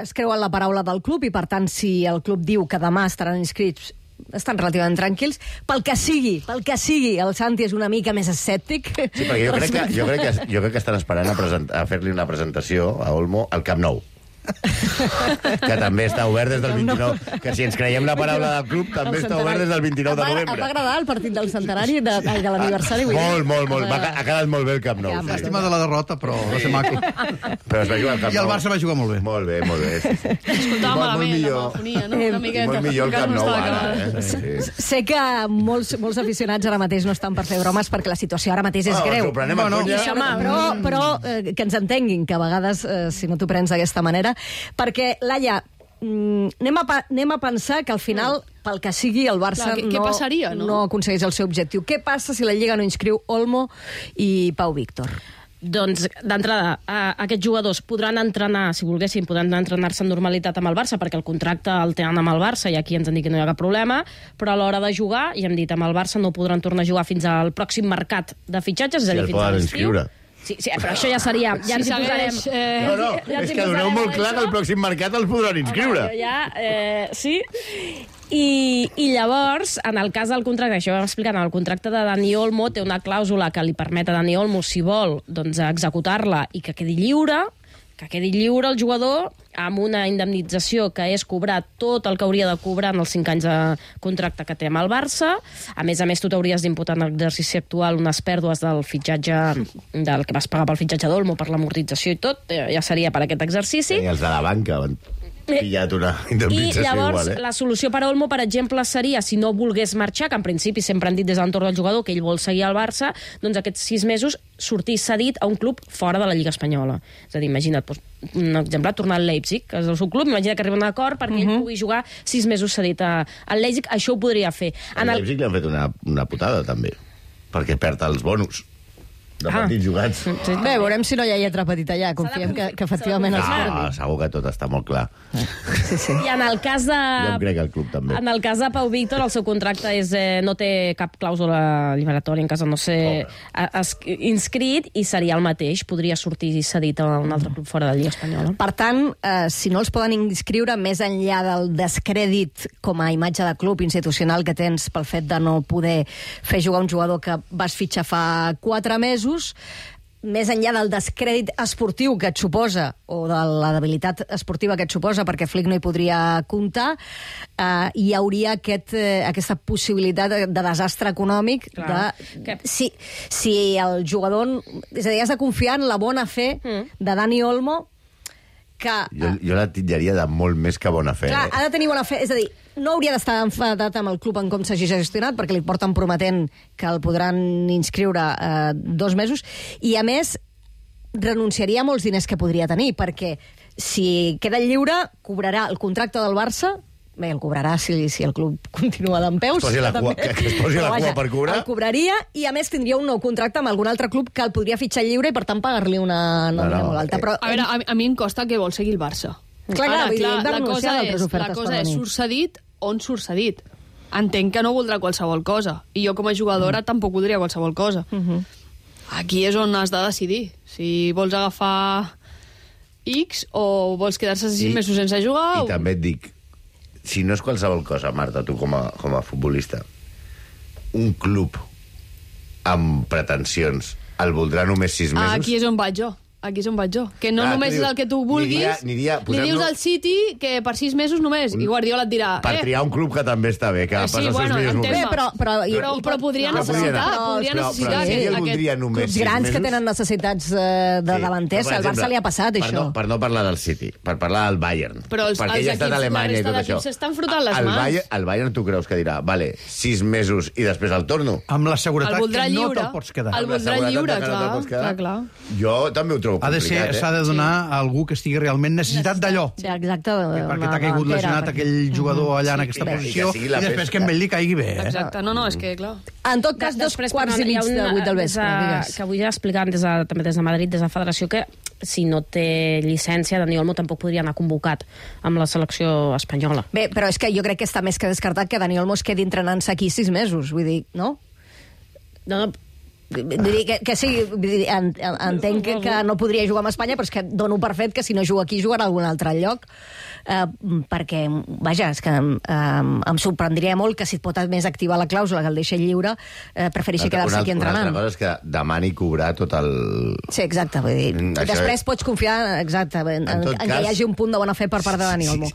es creuen la paraula del club i, per tant, si el club diu que demà estaran inscrits, estan relativament tranquils. Pel que sigui, el Santi és una mica més escèptic. Sí, perquè jo crec que estan esperant a fer-li una presentació a Olmo al Camp Nou. Que també està obert des del 29, que si ens creiem la paraula del club també està obert des del 29 de novembre. Em va agradar el partit del centenari de l'aniversari. Molt. Ha quedat molt bé el Camp Nou. Llàstima de la derrota, però va ser maco. Però es va jugar al Camp Nou. I el Barça va jugar molt bé. Molt bé. Escoltava malament la megafonia, no? Una miqueta. Molt millor el Camp Nou ara. Sé que molts aficionats ara mateix no estan per fer bromes perquè la situació ara mateix és greu. Però que ens entenguin, que a vegades, si no t'ho prens d'aquesta manera, perquè, Laia, anem a pensar que al final, pel que sigui, el Barça no aconsegueix el seu objectiu. Què passa si la Lliga no inscriu Olmo i Pau Víctor? Doncs, d'entrada, aquests jugadors podran entrenar, si volguessin, podran entrenar-se en normalitat amb el Barça, perquè el contracte el tenen amb el Barça i aquí ens han dit que no hi ha cap problema, però a l'hora de jugar, ja hem dit, amb el Barça no podran tornar a jugar fins al pròxim mercat de fitxatges, és a dir, fins a l'estiu. Sí, però això ja seria... Ja ens hi posarem... És que doneu molt clar que el pròxim mercat els podran inscriure. Sí. I llavors, en el cas del contracte, això ho vam explicar, en el contracte de Dani Olmo té una clàusula que li permet a Dani Olmo, si vol, doncs, executar-la i que quedi lliure el jugador amb una indemnització que és cobrar tot el que hauria de cobrar en els 5 anys de contracte que té amb el Barça. A més, tu t'hauries d'imputar en l'exercici actual unes pèrdues del fitxatge, del que vas pagar pel fitxatge d'Olmo, per l'amortització i tot, ja seria per aquest exercici. I els de la banca van pillat una indemnització I llavors, igual, la solució per a Olmo, per exemple, seria, si no volgués marxar, que en principi sempre han dit des de l'entorn del jugador que ell vol seguir al Barça, doncs aquests 6 mesos sortir cedit a un club fora de la Lliga Espanyola. És a dir, imagina't, un exemple, tornar al Leipzig, que és el seu club, imagina que arriba a un acord perquè ell pugui jugar 6 mesos cedit al Leipzig, això ho podria fer. Al Leipzig li han fet una putada, també, perquè perd els bonus de partits jugats. Bé, veurem si no hi ha lletra petita allà. Confiem que efectivament els perdi. Segur que tot està molt clar. Sí. I en el cas de... Jo em crec al club, també. En el cas de Pau Víctor, el seu contracte no té cap clàusula liberatòria en cas de no ser inscrit i seria el mateix. Podria sortir cedit a un altre club fora de la Lliga Espanyola. Per tant, si no els poden inscriure, més enllà del descrèdit com a imatge de club institucional que tens pel fet de no poder fer jugar un jugador que vas fitxar fa 4 mesos, més enllà del descrèdit esportiu que et suposa, o de la debilitat esportiva que et suposa, perquè Flick no hi podria comptar, hi hauria aquesta possibilitat de desastre econòmic. Si el jugador... És a dir, has de confiar en la bona fe de Dani Olmo, que... Jo la titllaria de molt més que bona fe. Clar, ha de tenir bona fe. És a dir, no hauria d'estar enfadat amb el club en com s'hagi gestionat, perquè li porten prometent que el podran inscriure 2 mesos, i a més renunciaria a molts diners que podria tenir, perquè si queda lliure cobrarà el contracte del Barça. Bé, el cobrarà si el club continua dempeus. Que es posi la cua per cobrar. El cobraria i, a més, tindria un nou contracte amb algun altre club que el podria fitxar lliure i, per tant, pagar-li una nòmina molt alta. Però, a veure, a mi em costa que vol seguir el Barça. Clar, la cosa és surt cedit on surt cedit. Entenc que no voldrà qualsevol cosa. I jo, com a jugadora, tampoc voldria qualsevol cosa. Aquí és on has de decidir. Si vols agafar X o vols quedar-se 6 mesos sense jugar... I també et dic, si no és qualsevol cosa, Marta, tu com a futbolista, un club amb pretensions el voldrà només 6 mesos... Aquí és on vaig jo. Que no només és el que tu vulguis. Li dius al City que per 6 mesos només, i Guardiola et dirà... Per triar un club que també està bé, que passa els seus millors moments. Però podria necessitar. Clubs grans que tenen necessitats de davanters. Al Barça li ha passat, això. Per no parlar del City, per parlar del Bayern. Perquè ell ha estat a Alemanya i tot això. S'estan frotant les mans. El Bayern, tu creus que dirà, vale, 6 mesos i després el torno? Amb la seguretat que no te'l pots quedar. El voldrà lliure, clar. Jo també ho trobo complicat. S'ha de donar a algú que estigui realment necessitat d'allò. Exacte. Perquè t'ha caigut lesionat aquell jugador allà en aquesta posició i després que en ell li caigui bé. Exacte, no, és que, clar... En tot cas, 2:15 de 8 del vespre, digues. Que avui ja explicant també des de Madrid, des de la Federació, que si no té llicència, Dani Olmo tampoc podria anar convocat amb la selecció espanyola. Bé, però és que jo crec que està més que descartat que Dani Olmo es quedi entrenant-se aquí 6 mesos, vull dir, no? No, Vull dir que sí, entenc que no podria jugar amb Espanya, però és que dono per fet que si no juga aquí jugarà a algun altre lloc, perquè, vaja, és que em sorprendria molt que si et pot més activar la clàusula que el deixa lliure, prefereixi quedar-se aquí entrenant. Una altra cosa és que demani cobrar tot el... Sí, exacte, vull dir, després pots confiar en que hi hagi un punt de bona fe per part de Dani Olmo.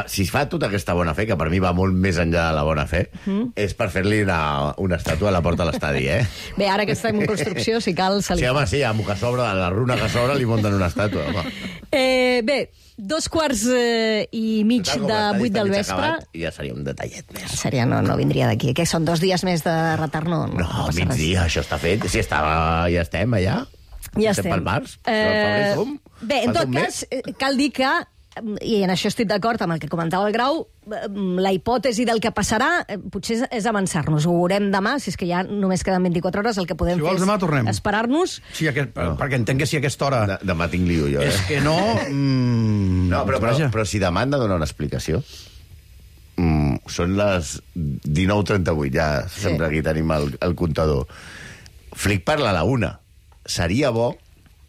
Si fa tota aquesta bona fe, que per mi va molt més enllà de la bona fe, és per fer-li una estàtua a la porta de l'estadi, eh? Bé, ara que estem en construcció, si cal... Sí, home, sí, amb que sobre, a la runa que sobre li munten una estàtua, home. Bé, 2:15 de 8 del vespre... I ja seria un detallet més. Seria, no vindria d'aquí. Que són 2 dies més de retard, no migdia, això està fet. Si ja estem allà. Ja estem. Pel març. Bé, en tot cas, cal dir que, i en això estic d'acord amb el que comentava el Grau, la hipòtesi del que passarà potser és avançar-nos. Ho veurem demà, si és que ja només queden 24 hores, el que podem fer és esperar-nos. Sí, perquè entenc que si a aquesta hora... Demà tinc lío, jo, És que no... No, però si demà han de donar una explicació. Són les 19:38, ja sempre aquí tenim el comptador. Flick parla a la 1. Seria bo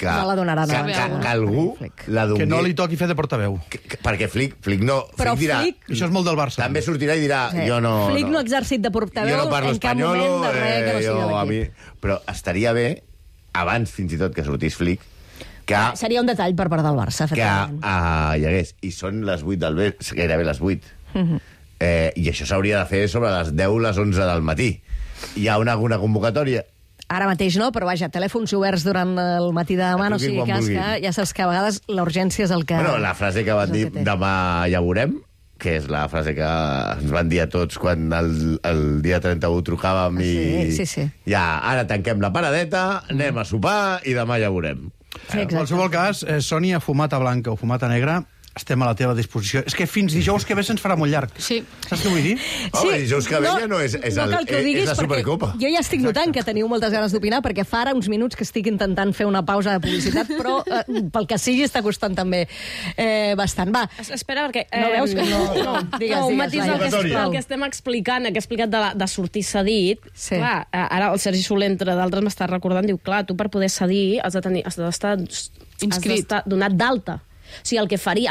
que No la donarà, no. que algú la doni. Que no li toqui fer de portaveu. Perquè Flick no... Però Flick dirà... Això és molt del Barça. També sortirà i dirà, jo no... Flick no ha exercit de portaveu jo no parlo en cap espanyol, moment de res que no sigui de l'equip. Però estaria bé, abans fins i tot que sortís Flick, que Seria un detall per part del Barça, hi hagués. I són les 8 del vespre, gairebé les 8. I això s'hauria de fer sobre les 10, les 11 del matí. Hi ha alguna convocatòria? Ara mateix no, però vaja, telèfons oberts durant el matí de demà, no sigui cas que ja saps que a vegades la urgència és el que... Bueno, la frase que van dir, demà ja veurem, que és la frase que ens van dir a tots quan el dia 31 trucàvem i... Sí. Ja, ara tanquem la paradeta, anem a sopar i demà ja veurem. Sí, En qualsevol cas, Sònia, fumata blanca o fumata negra, estem a la teva disposició. És que fins dijous que ve se'ns farà molt llarg. Sí. Saps què vull dir? Home, dijous que ve ja no és no cal que ho diguis, la Supercopa. Jo ja estic notant que teniu moltes ganes d'opinar, perquè fa ara uns minuts que estic intentant fer una pausa de publicitat, però pel que sigui està costant també bastant. Va. Espera, perquè... No veus que no? Digues, un matís Laia. el que estem explicant, el que he explicat de sortir cedit. Sí. Clar, ara el Sergi Soler, entre d'altres, m'està recordant, diu, clar, tu per poder cedir has d'estar donat d'alta. O sigui,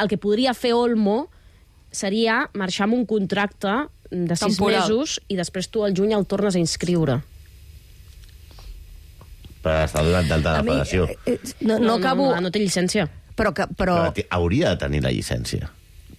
el que podria fer Olmo seria marxar amb un contracte de 6 temporal. mesos i després tu al juny el tornes a inscriure. Per estar donat d'alta de la federació. No acabo... No té llicència. Però Hauria de tenir la llicència.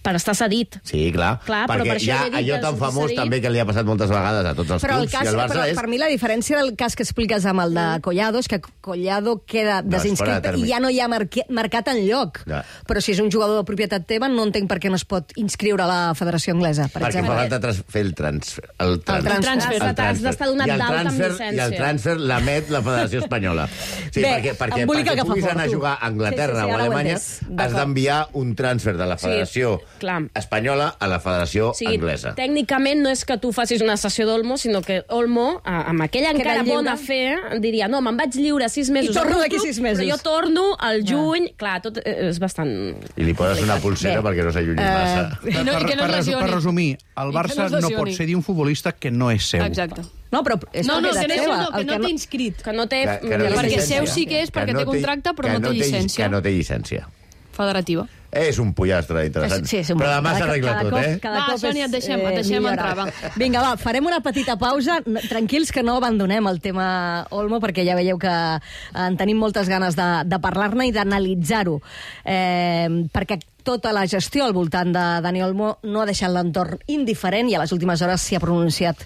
Per estar cedit. Sí, clar. Clar, però perquè per això hi ha he dit allò que tan famós cedit. també que li ha passat moltes vegades a tots els Però, clubs. I el Barça és... per mi la diferència del cas que expliques amb el de Collado és que Collado queda desinscrit i ja no hi ha marcat enlloc. Ja. Però si és un jugador de propietat teva, no entenc per què no es pot inscriure a la Federació Anglesa, per Perquè exemple. fa falta fer el transfer. El transfer. Has d'estar donat d'alta amb llicència. I el transfer l'emet la Federació Espanyola. Sí, Bé, perquè embolica que fa puguis fort, anar a tu. jugar a Anglaterra Sí, o a ara ho he Alemanya, entès. has D'acord. d'enviar un transfer de la Federació clar. Espanyola a la Federació Anglesa. Tècnicament no és que tu facis una sessió d'Olmo, sinó que Olmo, amb aquella encara lliure. bona fe, diria, no, me'n vaig lliure 6 mesos. I torno al d'aquí club, 6 mesos. Però jo torno al juny. Clar, tot és bastant... I li poses una pulsera perquè no s'allunyi massa. I que no es lesioni. Per resumir, el I que Barça no es no lesioni. pot cedir un futbolista que no és seu. Exacte. No, però és No, propietat que seva. no, que no té inscrit. Que no té... Que no té Perquè llicència. seu sí que és, perquè té contracte, però no té llicència. Que no té llicència. Federativa. És un pollastre interessant. Sí, però demà s'arregla tot, eh? Cada Va, cop Sònia, és, et deixem entrar, va. Vinga, va, farem una petita pausa. Tranquils que no abandonem el tema Olmo, perquè ja veieu que en tenim moltes ganes de parlar-ne i d'analitzar-ho. Perquè tota la gestió al voltant de Dani Olmo no ha deixat l'entorn indiferent i a les últimes hores s'hi ha pronunciat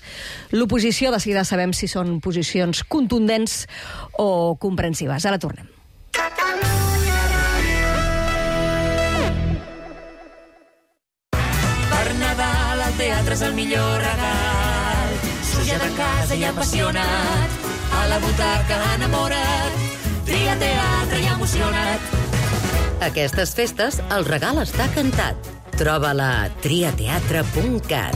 l'oposició. De seguida sabem si són posicions contundents o comprensives. Ara tornem. Per Nadal el teatre és el millor regal. Suja de casa i apassionat, a la butaca enamorat, tria teatre i emocionat. Aquestes festes el regal està cantat. Troba-la a triateatre.cat.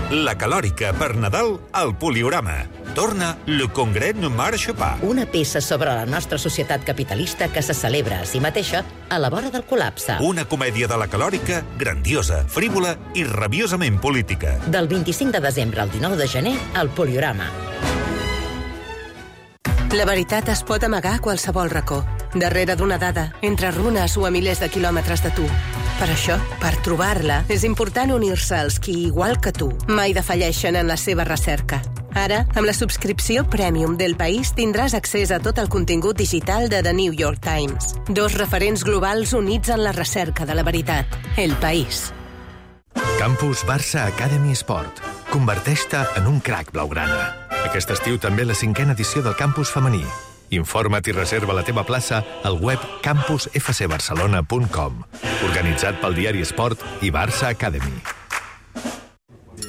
La calòrica per Nadal al Poliorama. Torna Le Congrès ne marche pas. Una peça sobre la nostra societat capitalista que se celebra a si mateixa a la vora del col·lapse. Una comèdia de la calòrica grandiosa, frívola i rabiosament política. Del 25 de desembre al 19 de gener al Poliorama. La veritat es pot amagar a qualsevol racó, darrere d'una dada, entre runes o a milers de quilòmetres de tu. Per això, per trobar-la, és important unir-se als qui, igual que tu, mai defalleixen en la seva recerca. Ara, amb la subscripció Premium del País, tindràs accés a tot el contingut digital de The New York Times. 2 referents globals units en la recerca de la veritat. El País. Campus Barça Academy Sport. Converteix-te en un crac blaugrana. Aquest estiu també la 5a edició del campus femení. Informa't i reserva la teva plaça al web campusfcbarcelona.com. Organitzat pel diari Esport i Barça Academy.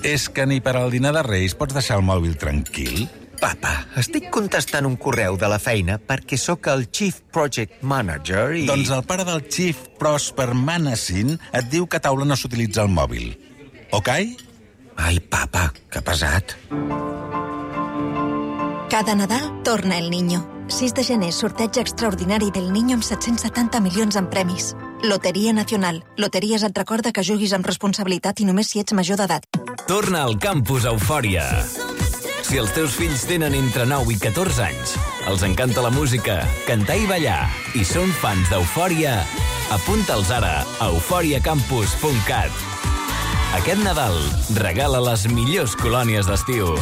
És que ni per al dinar de Reis pots deixar el mòbil tranquil? Papa, estic contestant un correu de la feina perquè sóc el Chief Project Manager i... Doncs el pare del Chief Prosper Manassin et diu que a taula no s'utilitza el mòbil. Ok? Ai, papa, que pesat. Cada Nadal torna el Niño. 6 de gener, sorteig extraordinari del Niño amb 770 milions en premis. Loteria Nacional. Loteries et recorda que juguis amb responsabilitat i només si ets major d'edat. Torna al Campus Eufòria. Si els teus fills tenen entre 9 i 14 anys, els encanta la música, cantar i ballar, i són fans d'Eufòria, apunta'ls ara a euforiacampus.cat. Aquest Nadal, regala les millors colònies d'estiu.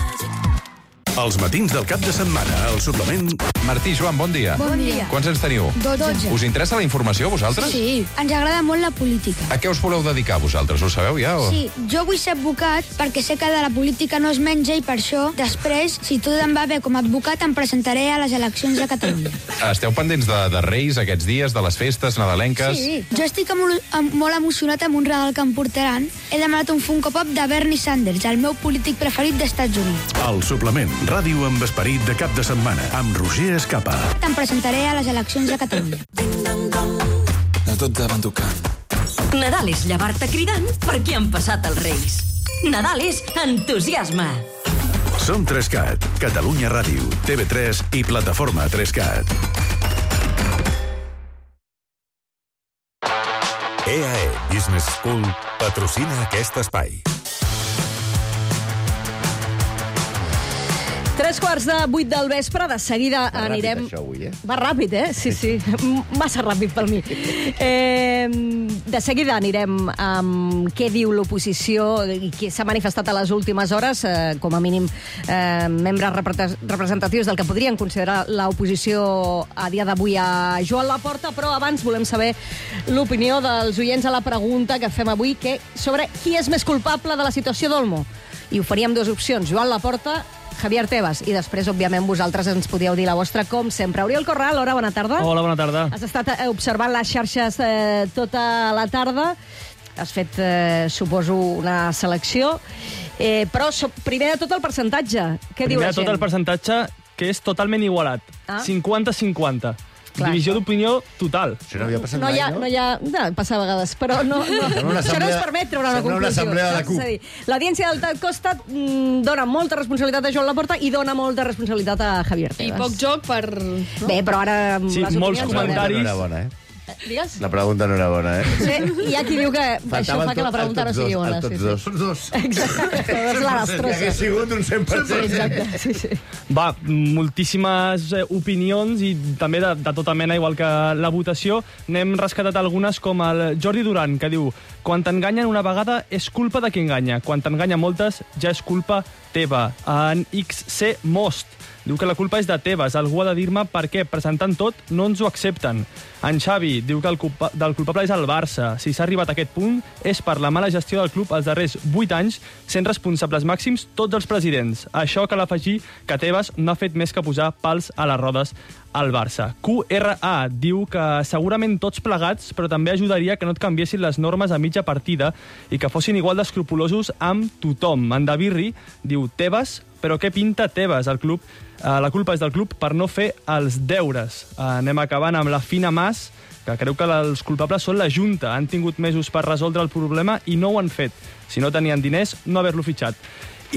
Els matins del cap de setmana, al suplement... Martí, Joan, bon dia. Bon dia. Quants anys teniu? 12. Us interessa la informació, a vosaltres? Sí, ens agrada molt la política. A què us voleu dedicar, vosaltres? Ho sabeu ja? O... Sí, jo vull ser advocat perquè sé que de la política no es menja i per això, després, si tot em va bé com a advocat, em presentaré a les eleccions de Catalunya. Esteu pendents de Reis aquests dies, de les festes nadalenques? Sí, jo estic molt emocionat amb un regal que em portaran. He demanat un Funko Pop de Bernie Sanders, el meu polític preferit d'Estats Units. El suplement, ràdio amb esperit de cap de setmana, amb Roger Escapa. Te'n presentaré a les eleccions de Catalunya. A tot davant tocar. Nadal és llevar-te cridant perquè han passat els Reis. Nadal és entusiasme. Som 3CAT, Catalunya Ràdio, TV3 i plataforma 3CAT. EAE Business School patrocina aquest espai. 7:45 del vespre, de seguida anirem... Això avui, Va ràpid, Sí, sí. Massa ràpid per mi. De seguida anirem amb què diu l'oposició i qui s'ha manifestat a les últimes hores, com a mínim membres representatius del que podrien considerar l'oposició a dia d'avui a Joan Laporta, però abans volem saber l'opinió dels oients a la pregunta que fem avui, sobre qui és més culpable de la situació d'Olmo. I oferíem dues opcions, Joan Laporta, Javier Tebas, i després, òbviament, vosaltres ens podíeu dir la vostra, com sempre. Oriol Corral, hola, bona tarda. Hola, bona tarda. Has estat observant les xarxes tota la tarda, has fet, suposo, una selecció, però primer de tot el percentatge. Què diu la gent? Primer de tot el percentatge, que és totalment igualat. 50-50. Divisió d'opinió total. Això no havia passat mai, no? Passa a vegades, però no. Això no ens permet treure una conclusió. Una assemblea de la CUP. És a dir, l'audiència del Costa dona molta responsabilitat a Joan Laporta i dona molta responsabilitat a Javier Tebas. I poc joc per... No? Bé, però ara... Sí, molts comentaris... Digues? La pregunta no era bona, Sí, hi ha qui diu que això fa que la pregunta no sigui bona. Tots dos. Exacte, la destrossa. Hauria sigut un 100%. Exacte, sí. Va, moltíssimes opinions i també de tota mena, igual que la votació. N'hem rescatat algunes, com el Jordi Duran, que diu: quan t'enganyen una vegada és culpa de qui enganya. Quan t'enganya moltes ja és culpa teva. En XC Most diu que la culpa és de Tebas. Algú ha de dir-me per què, presentant tot, no ens ho accepten. En Xavi diu que del culpable és el Barça. Si s'ha arribat a aquest punt és per la mala gestió del club els darrers 8 anys, sent responsables màxims tots els presidents. Això cal afegir que Tebas no ha fet més que posar pals a les rodes al Barça. QRA diu que segurament tots plegats, però també ajudaria que no et canviessin les normes a mitja partida i que fossin igual d'escrupulosos amb tothom. En Davirri diu Tebas, però què pinta Tebas al club? La culpa és del club per no fer els deures. Anem acabant amb la Fina Mas, que creu que els culpables són la Junta. Han tingut mesos per resoldre el problema i no ho han fet. Si no tenien diners, no haver-lo fitxat.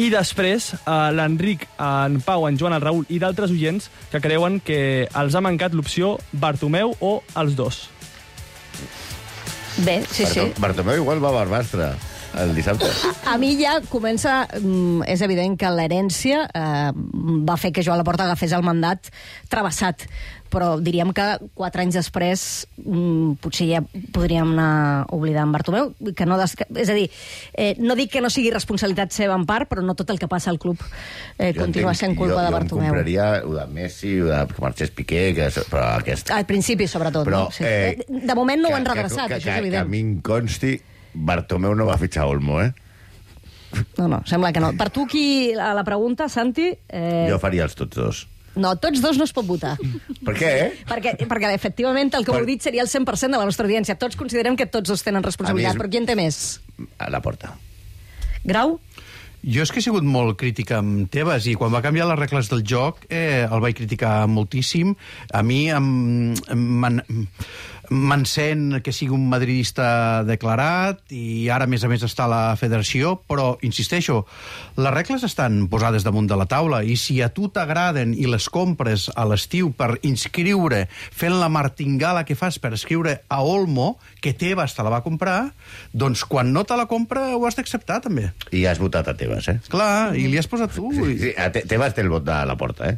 I després, l'Enric, en Pau, en Joan, el Raül i d'altres oients que creuen que els ha mancat l'opció Bartomeu o els dos. Bé, sí. Bartomeu igual va a Barbastre el dissabte. A mi ja comença... És evident que l'herència va fer que Joan Laporta agafés el mandat travessat, però diríem que 4 anys després potser ja podríem anar oblidant Bartomeu. Que no és a dir, no dic que no sigui responsabilitat seva en part, però no tot el que passa al club continua sent culpa de Bartomeu. Jo em compraria de Messi, que marxés Piqué, però aquest... Al principi, sobretot. Però, no? Sí. De moment no ho han redreçat, això és evident. Que a mi em consti, Bartomeu no va fitxar Olmo, No, sembla que no. Per tu, a la pregunta, Santi... Jo faria els tots dos. No, tots dos no es pot votar. Per què? Perquè efectivament, el que heu dit seria el 100% de la nostra audiència. Tots considerem que tots dos tenen responsabilitat, però qui en té més? A Laporta. Grau? Jo és que he sigut molt crítica amb Tebas i quan va canviar les regles del joc el vaig criticar moltíssim. A mi m'encén que sigui un madridista declarat i ara, a més està a la federació, però, insisteixo, les regles estan posades damunt de la taula i si a tu t'agraden i les compres a l'estiu per inscriure, fent la martingala que fas per escriure a Olmo, que Tebas te la va comprar, doncs quan no te la compra ho has d'acceptar, també. I has votat a Tebas, Clar, i li has posat tu. Sí, Tebas té el vot de la Porta,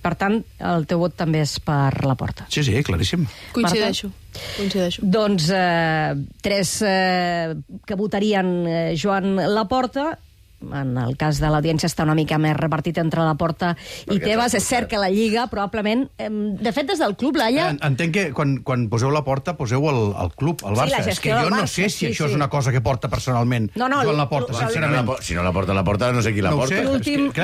Per tant, el teu vot també és per la Porta. Sí, claríssim. Coincideixo. Doncs 3 que votarien Joan Laporta. En el cas de l'audiència està una mica més repartit entre la Porta i Tebas. És cert que la Lliga, probablement... De fet, des del club, Laia... Entenc que quan poseu la Porta, poseu el club, el Barça. És que jo no sé si això és una cosa que porta personalment Joan Laporta, sincerament. Si no la porta, no sé qui la porta.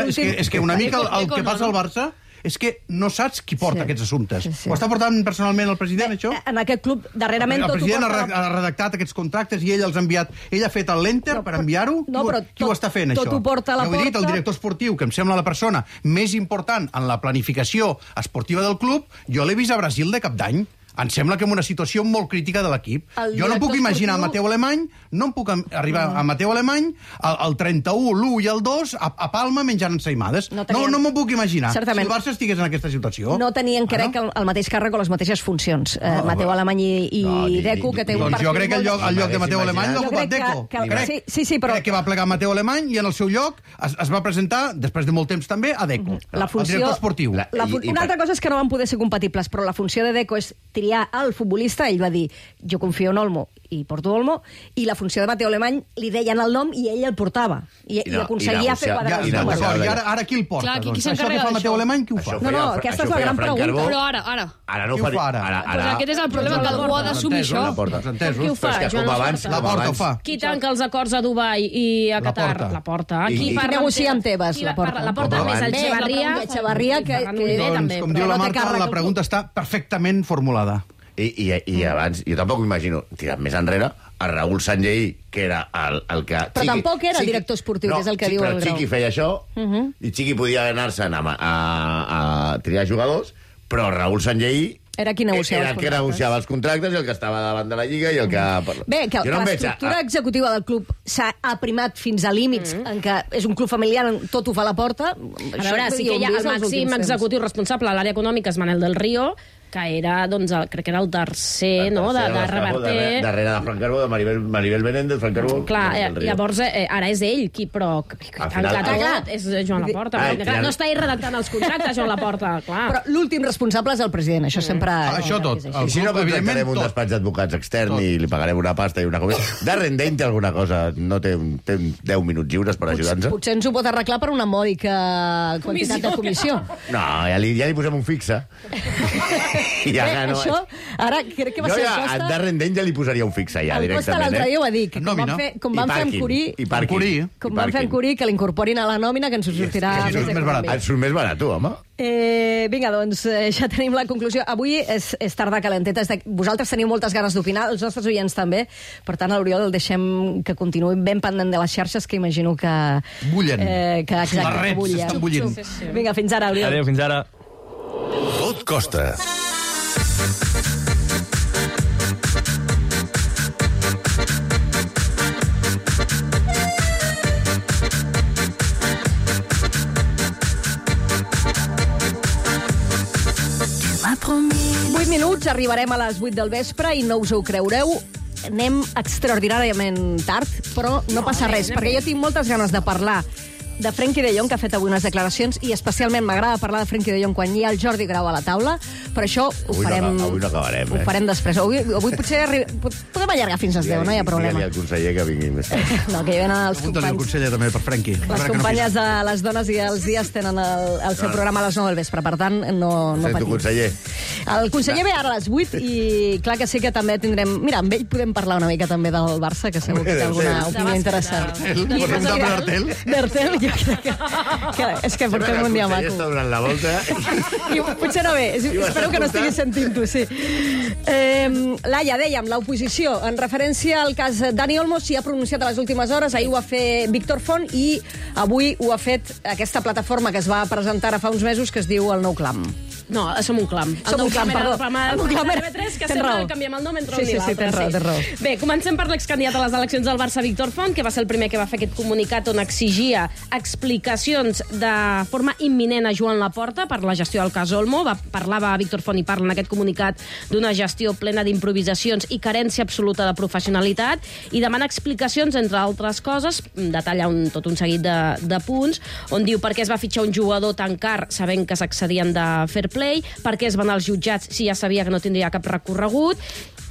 És que una mica el que passa al Barça és que no saps qui porta aquests assumptes. Ho està portant personalment el president, això? En aquest club, darrerament... El president ha redactat aquests contractes i ell els ha enviat... Ell ha fet l'enter per enviar-ho? Qui ho està fent, això? Tot ho porta a la Porta. Ja ho he dit, el director esportiu, que em sembla la persona més important en la planificació esportiva del club, jo l'he vist a Brasil de cap d'any. Em sembla que en una situació molt crítica de l'equip. Jo no puc imaginar Mateu Alemany, no em puc arribar a Mateu Alemany, el 31, l'1 i el 2, a Palma menjant ensaïmades. No m'ho puc imaginar. Si el Barça estigués en aquesta situació. No tenien, crec, el mateix càrrec o les mateixes funcions. Mateu Alemany i Deco, que té un partit... Doncs jo crec que el lloc de Mateu Alemany l'ha ocupat Deco. Crec que va plegar Mateu Alemany i en el seu lloc es va presentar, després de molt temps també, a Deco, el director esportiu. Una altra cosa és que no van poder ser compatibles, però la funció de Deco és triar el futbolista. Ell va dir, jo confio en Olmo i porto Olmo, i la funció de Mateu Alemany li deien el nom i ell el portava. I aconseguia fer quadrar els números. I ara qui el porta? Això que fa Mateu Alemany, qui ho fa? No, aquesta és la gran pregunta. Però ara. Ara no ho fa. Doncs aquest és el problema, que algú ha d'assumir això. Qui ho fa? La Porta ho fa. Qui tanca els acords a Dubai i a Qatar? La Porta. Qui negocia amb Tebas? La Porta. La Porta més el Xevarria, que doncs, com diu la Marta, la pregunta està perfectament formulada. I abans, jo tampoc m'imagino, tirant més enrere, a Raúl Sanlleí, que era el que... Però tampoc era el director esportiu, que és el que diu el Grau. Però Chiqui feia això, i Chiqui podia anar-se'n a triar jugadors, però Raúl Sanlleí era qui negociava els contractes i el que estava davant de la Lliga i el que... Bé, que l'estructura executiva del club s'ha aprimat fins a límits en què és un club familiar, tot ho fa a la Porta. A veure, sí que hi ha el màxim executiu responsable a l'àrea econòmica, és Manel del Río, que era, doncs, crec que era el tercer, no?, de Reverter. Darrere de Frank Carbó, de Maribel Menéndez, Frank Carbó... Clar, llavors, ara és ell qui, però... Tancat és Joan Laporta. No està ell redactant els contractes, Joan Laporta, clar. Però l'últim responsable és el president, això sempre... Això tot. I si no contractarem un despatx d'advocats extern i li pagarem una pasta i una comida... Darren té alguna cosa, no té 10 minuts lliures per ajudar-nos? Potser ens ho pot arreglar per una mòdica quantitat de comissió. No, ja li posem un fixe. Això, ara crec que va ser el Costa... A Darren Dent ja li posaria un fixe ja, directament. El Costa l'altre dia ho va dir, que com van fer amb Curí, que l'incorporin a la nòmina, que ens ho sortirà més econòmic. Ens surt més barat, home. Vinga, doncs, ja tenim la conclusió. Avui és tarda calenteta. Vosaltres teniu moltes ganes d'opinar, els nostres oients també. Per tant, a l'Oriol el deixem que continuï ben pendent de les xarxes, que imagino que... Bullen. Les rets estan bullint. Vinga, fins ara, Oriol. Adéu, fins ara. Tot costa. Minuts, arribarem a les 8 del vespre i no us ho creureu, anem extraordinàriament tard, però no passa res, perquè jo tinc moltes ganes de parlar de Frenkie de Jong, que ha fet avui unes declaracions, i especialment m'agrada parlar de Frenkie de Jong quan hi ha el Jordi Grau a la taula, per això ho farem... Avui no acabarem, Ho farem després. Avui potser podem allargar fins als 10, no hi ha problema. Digue-li al conseller que vingui més tard. No, que hi venen els companys. Apunta-li al conseller també per Frenkie. Les companyes de les dones i els dies tenen el seu programa a les 9 del vespre, per tant, no patim. Conseller. El conseller ve ara a les 8 i clar que sí que també tindrem... Mira, amb ell podem parlar una mica també del Barça, que segur que té alguna opinió interessant. D'Artel, jo crec que és que portem un dia maco. Està donant la volta. I potser no ve. Espero que no estiguis sentint-ho, sí. Laia, dèiem, l'oposició, en referència al cas Dani Olmo, s'hi ha pronunciat a les últimes hores. Ahir ho va fer Víctor Font i avui ho ha fet aquesta plataforma que es va presentar ara fa uns mesos, que es diu El Nou Clam. No, som un clam. Som un clam, perdó. El Un clam, TV3, que tens sempre raó. canviem el nom entre Sí, un i sí, l'altre. tens raó. Bé, comencem per l'excandidat a les eleccions del Barça, Víctor Font, que va ser el primer que va fer aquest comunicat on exigia explicacions de forma imminent a Joan Laporta per la gestió del cas Olmo. Parlava Víctor Font i parla en aquest comunicat d'una gestió plena d'improvisacions i carència absoluta de professionalitat i demana explicacions, entre altres coses, detalla tot un seguit de punts, on diu per què es va fitxar un jugador tan car sabent que s'accedien de fair play, per què es van als jutjats si ja sabia que no tindria cap recorregut,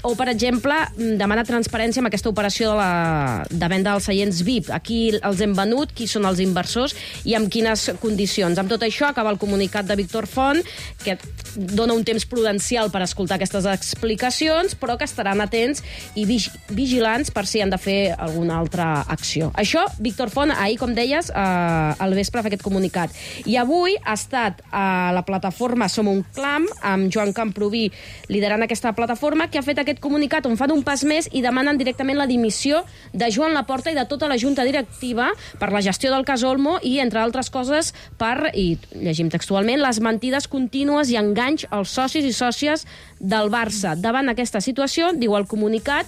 o, per exemple, demana transparència amb aquesta operació de venda dels seients VIP. A qui els hem venut, qui són els inversors i amb quines condicions. Amb tot això acaba el comunicat de Víctor Font, que dona un temps prudencial per escoltar aquestes explicacions, però que estaran atents i vigilants per si han de fer alguna altra acció. Això, Víctor Font, ahir, com deies, al vespre fa aquest comunicat. I avui ha estat a la plataforma Som un Clam, amb Joan Camproví liderant aquesta plataforma, que ha fet aquest comunicat on fan un pas més i demanen directament la dimissió de Joan Laporta i de tota la junta directiva per la gestió del cas Olmo i, entre altres coses, per, i llegim textualment, les mentides contínues i enganys als socis i sòcies del Barça. Davant aquesta situació, diu el comunicat,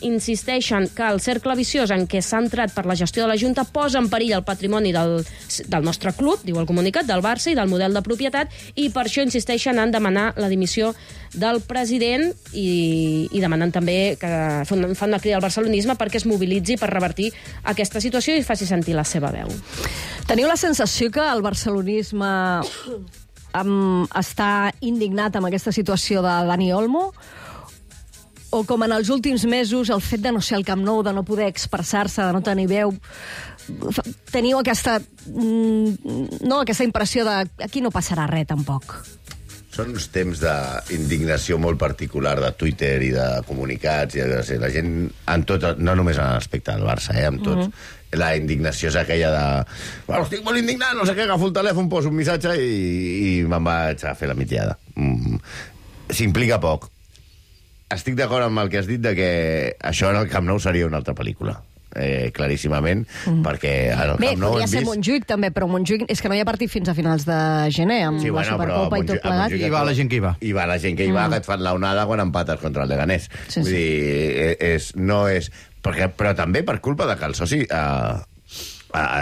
insisteixen que el cercle viciós en què s'ha entrat per la gestió de la Junta posa en perill el patrimoni del nostre club, diu el comunicat, del Barça i del model de propietat, i per això insisteixen en demanar la dimissió del president i demanen també que fan una crida al barcelonisme perquè es mobilitzi per revertir aquesta situació i faci sentir la seva veu. Teniu la sensació que el barcelonisme està indignat amb aquesta situació de Dani Olmo? O com en els últims mesos, el fet de no ser al Camp Nou, de no poder expressar-se, de no tenir veu, teniu aquesta impressió de aquí no passarà res, tampoc? Són uns temps d'indignació molt particular de Twitter i de comunicats. I la gent, en tot, no només en l'aspecte del Barça, en tots. La indignació és aquella de... Bueno, estic molt indignat, no sé què, agafo el telèfon, poso un missatge i me'n vaig a fer la mitiada. S'implica poc. Estic d'acord amb el que has dit de que això en el Camp Nou seria una altra pel·lícula. Claríssimament, perquè al Camp Nou podria ser Montjuïc també, però Montjuïc és que no hi ha partit fins a finals de gener, amb la Supercopa i tot plegat. I va la gent que hi va. I va la gent que hi va, que et fan l'onada quan empates contra el Leganés. Vull dir, no és... Però també per culpa de que el soci...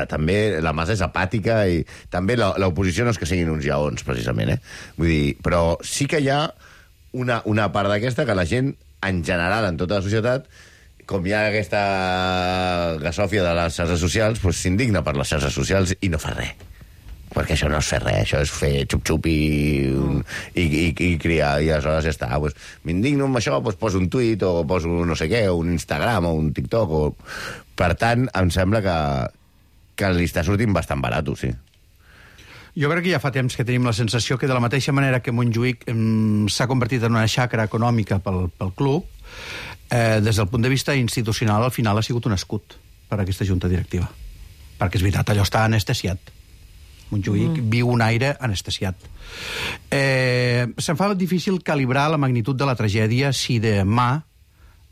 també la massa és apàtica i també l'oposició no és que siguin uns lleons, precisament, Vull dir, però sí que hi ha una part d'aquesta que la gent, en general, en tota la societat, com hi ha aquesta gasòfia de les xarxes socials, s'indigna per les xarxes socials i no fa res. Perquè això no és fer res, això és fer xup-xup i criar, i aleshores ja està. M'indigno amb això, poso un tuit, o poso no sé què, o un Instagram, o un TikTok, Per tant, em sembla que li està sortint bastant barat, sí. Jo crec que ja fa temps que tenim la sensació que de la mateixa manera que Montjuïc s'ha convertit en una xacra econòmica pel club, des del punt de vista institucional al final ha sigut un escut per a aquesta junta directiva. Perquè és veritat, allò està anestesiat. Montjuïc viu un aire anestesiat. Se'm fa difícil calibrar la magnitud de la tragèdia si demà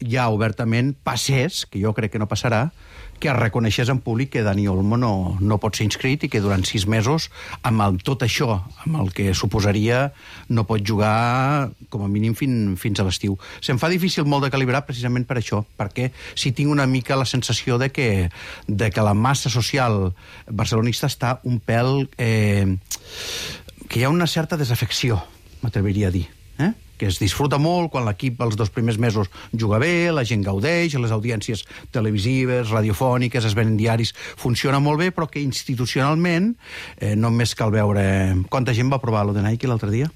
ja obertament passés, que jo crec que no passarà, que es reconeixés en públic que Dani Olmo no pot ser inscrit i que durant 6 mesos, amb tot això, amb el que suposaria, no pot jugar com a mínim fins a l'estiu. Se'm fa difícil molt de calibrar precisament per això, perquè si tinc una mica la sensació de que la massa social barcelonista està un pèl... que hi ha una certa desafecció, m'atreviria a dir, que es disfruta molt quan l'equip els 2 primers mesos juga bé, la gent gaudeix, les audiències televisives, radiofòniques, es venen diaris, funciona molt bé, però que institucionalment només cal veure... Quanta gent va aprovar lo de Nike l'altre dia?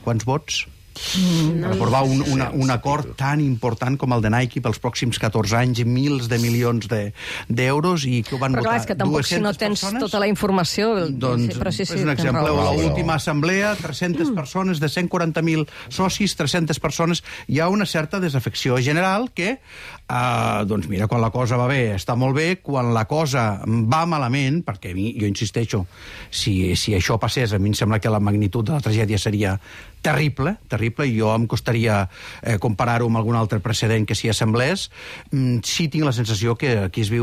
Quants vots? Per aprovar un acord tan important com el de Nike pels pròxims 14 anys, mils de milions d'euros, i que ho van votar 200 persones. Però clar, és que tampoc si no tens tota la informació... Doncs és un exemple. L'última assemblea, 300 persones, de 140.000 socis, 300 persones, hi ha una certa desafecció general que, doncs mira, quan la cosa va bé està molt bé, quan la cosa va malament, perquè a mi, jo insisteixo, si això passés, a mi em sembla que la magnitud de la tragèdia seria terrible, i jo em costaria comparar-ho amb algun altre precedent que s'hi assemblés. Sí tinc la sensació que aquí hi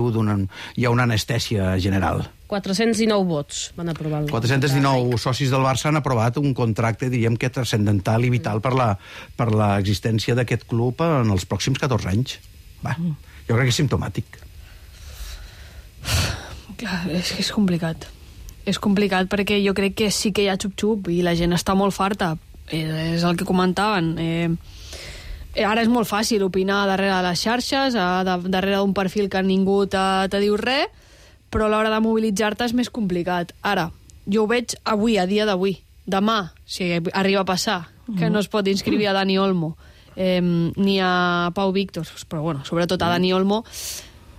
ha una anestèsia general. 419 vots van aprovar. 419 socis del Barça han aprovat un contracte, diríem que transcendental i vital per l'existència d'aquest club en els pròxims 14 anys. Jo crec que és simptomàtic. Clar, és complicat. És complicat perquè jo crec que sí que hi ha xup-xup i la gent està molt farta. És el que comentaven. Ara és molt fàcil opinar darrere de les xarxes, darrere d'un perfil que ningú te diu res, però a l'hora de mobilitzar-te és més complicat. Ara, jo ho veig avui, a dia d'avui. Demà, si arriba a passar, que no es pot inscriure a Dani Olmo ni a Pau Víctor, però bueno, sobretot a Dani Olmo,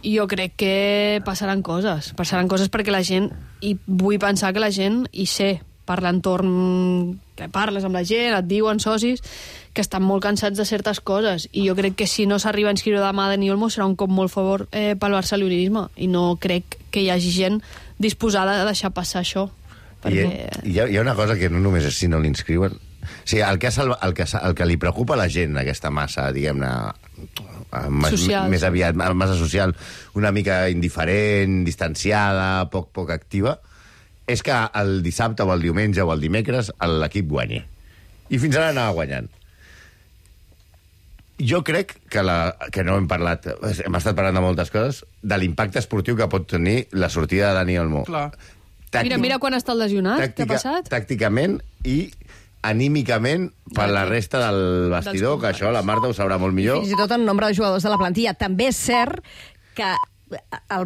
jo crec que passaran coses perquè la gent, i vull pensar que la gent, i sé, per l'entorn que parles amb la gent, et diuen socis que estan molt cansats de certes coses, i jo crec que si no s'arriba a inscriure demà a Dani Olmo serà un cop molt favor pel barcelonisme, i no crec que hi hagi gent disposada a deixar passar això. Perquè... Hi ha una cosa que no només és si no l'inscriuen. O sigui, el que li preocupa a la gent, aquesta massa, diguem-ne, més aviat, massa social, una mica indiferent, distanciada, poc activa, és que el dissabte o el diumenge o el dimecres l'equip guanyi. I fins ara anava guanyant. Jo crec que no hem parlat, hem estat parlant de moltes coses, de l'impacte esportiu que pot tenir la sortida de Dani Olmo. Clar. Mira quan està el lesionat, què ha passat? Tàcticament i anímicament per la resta del vestidor, que això la Marta ho sabrà molt millor. Fins i tot en nombre de jugadors de la plantilla. També és cert que el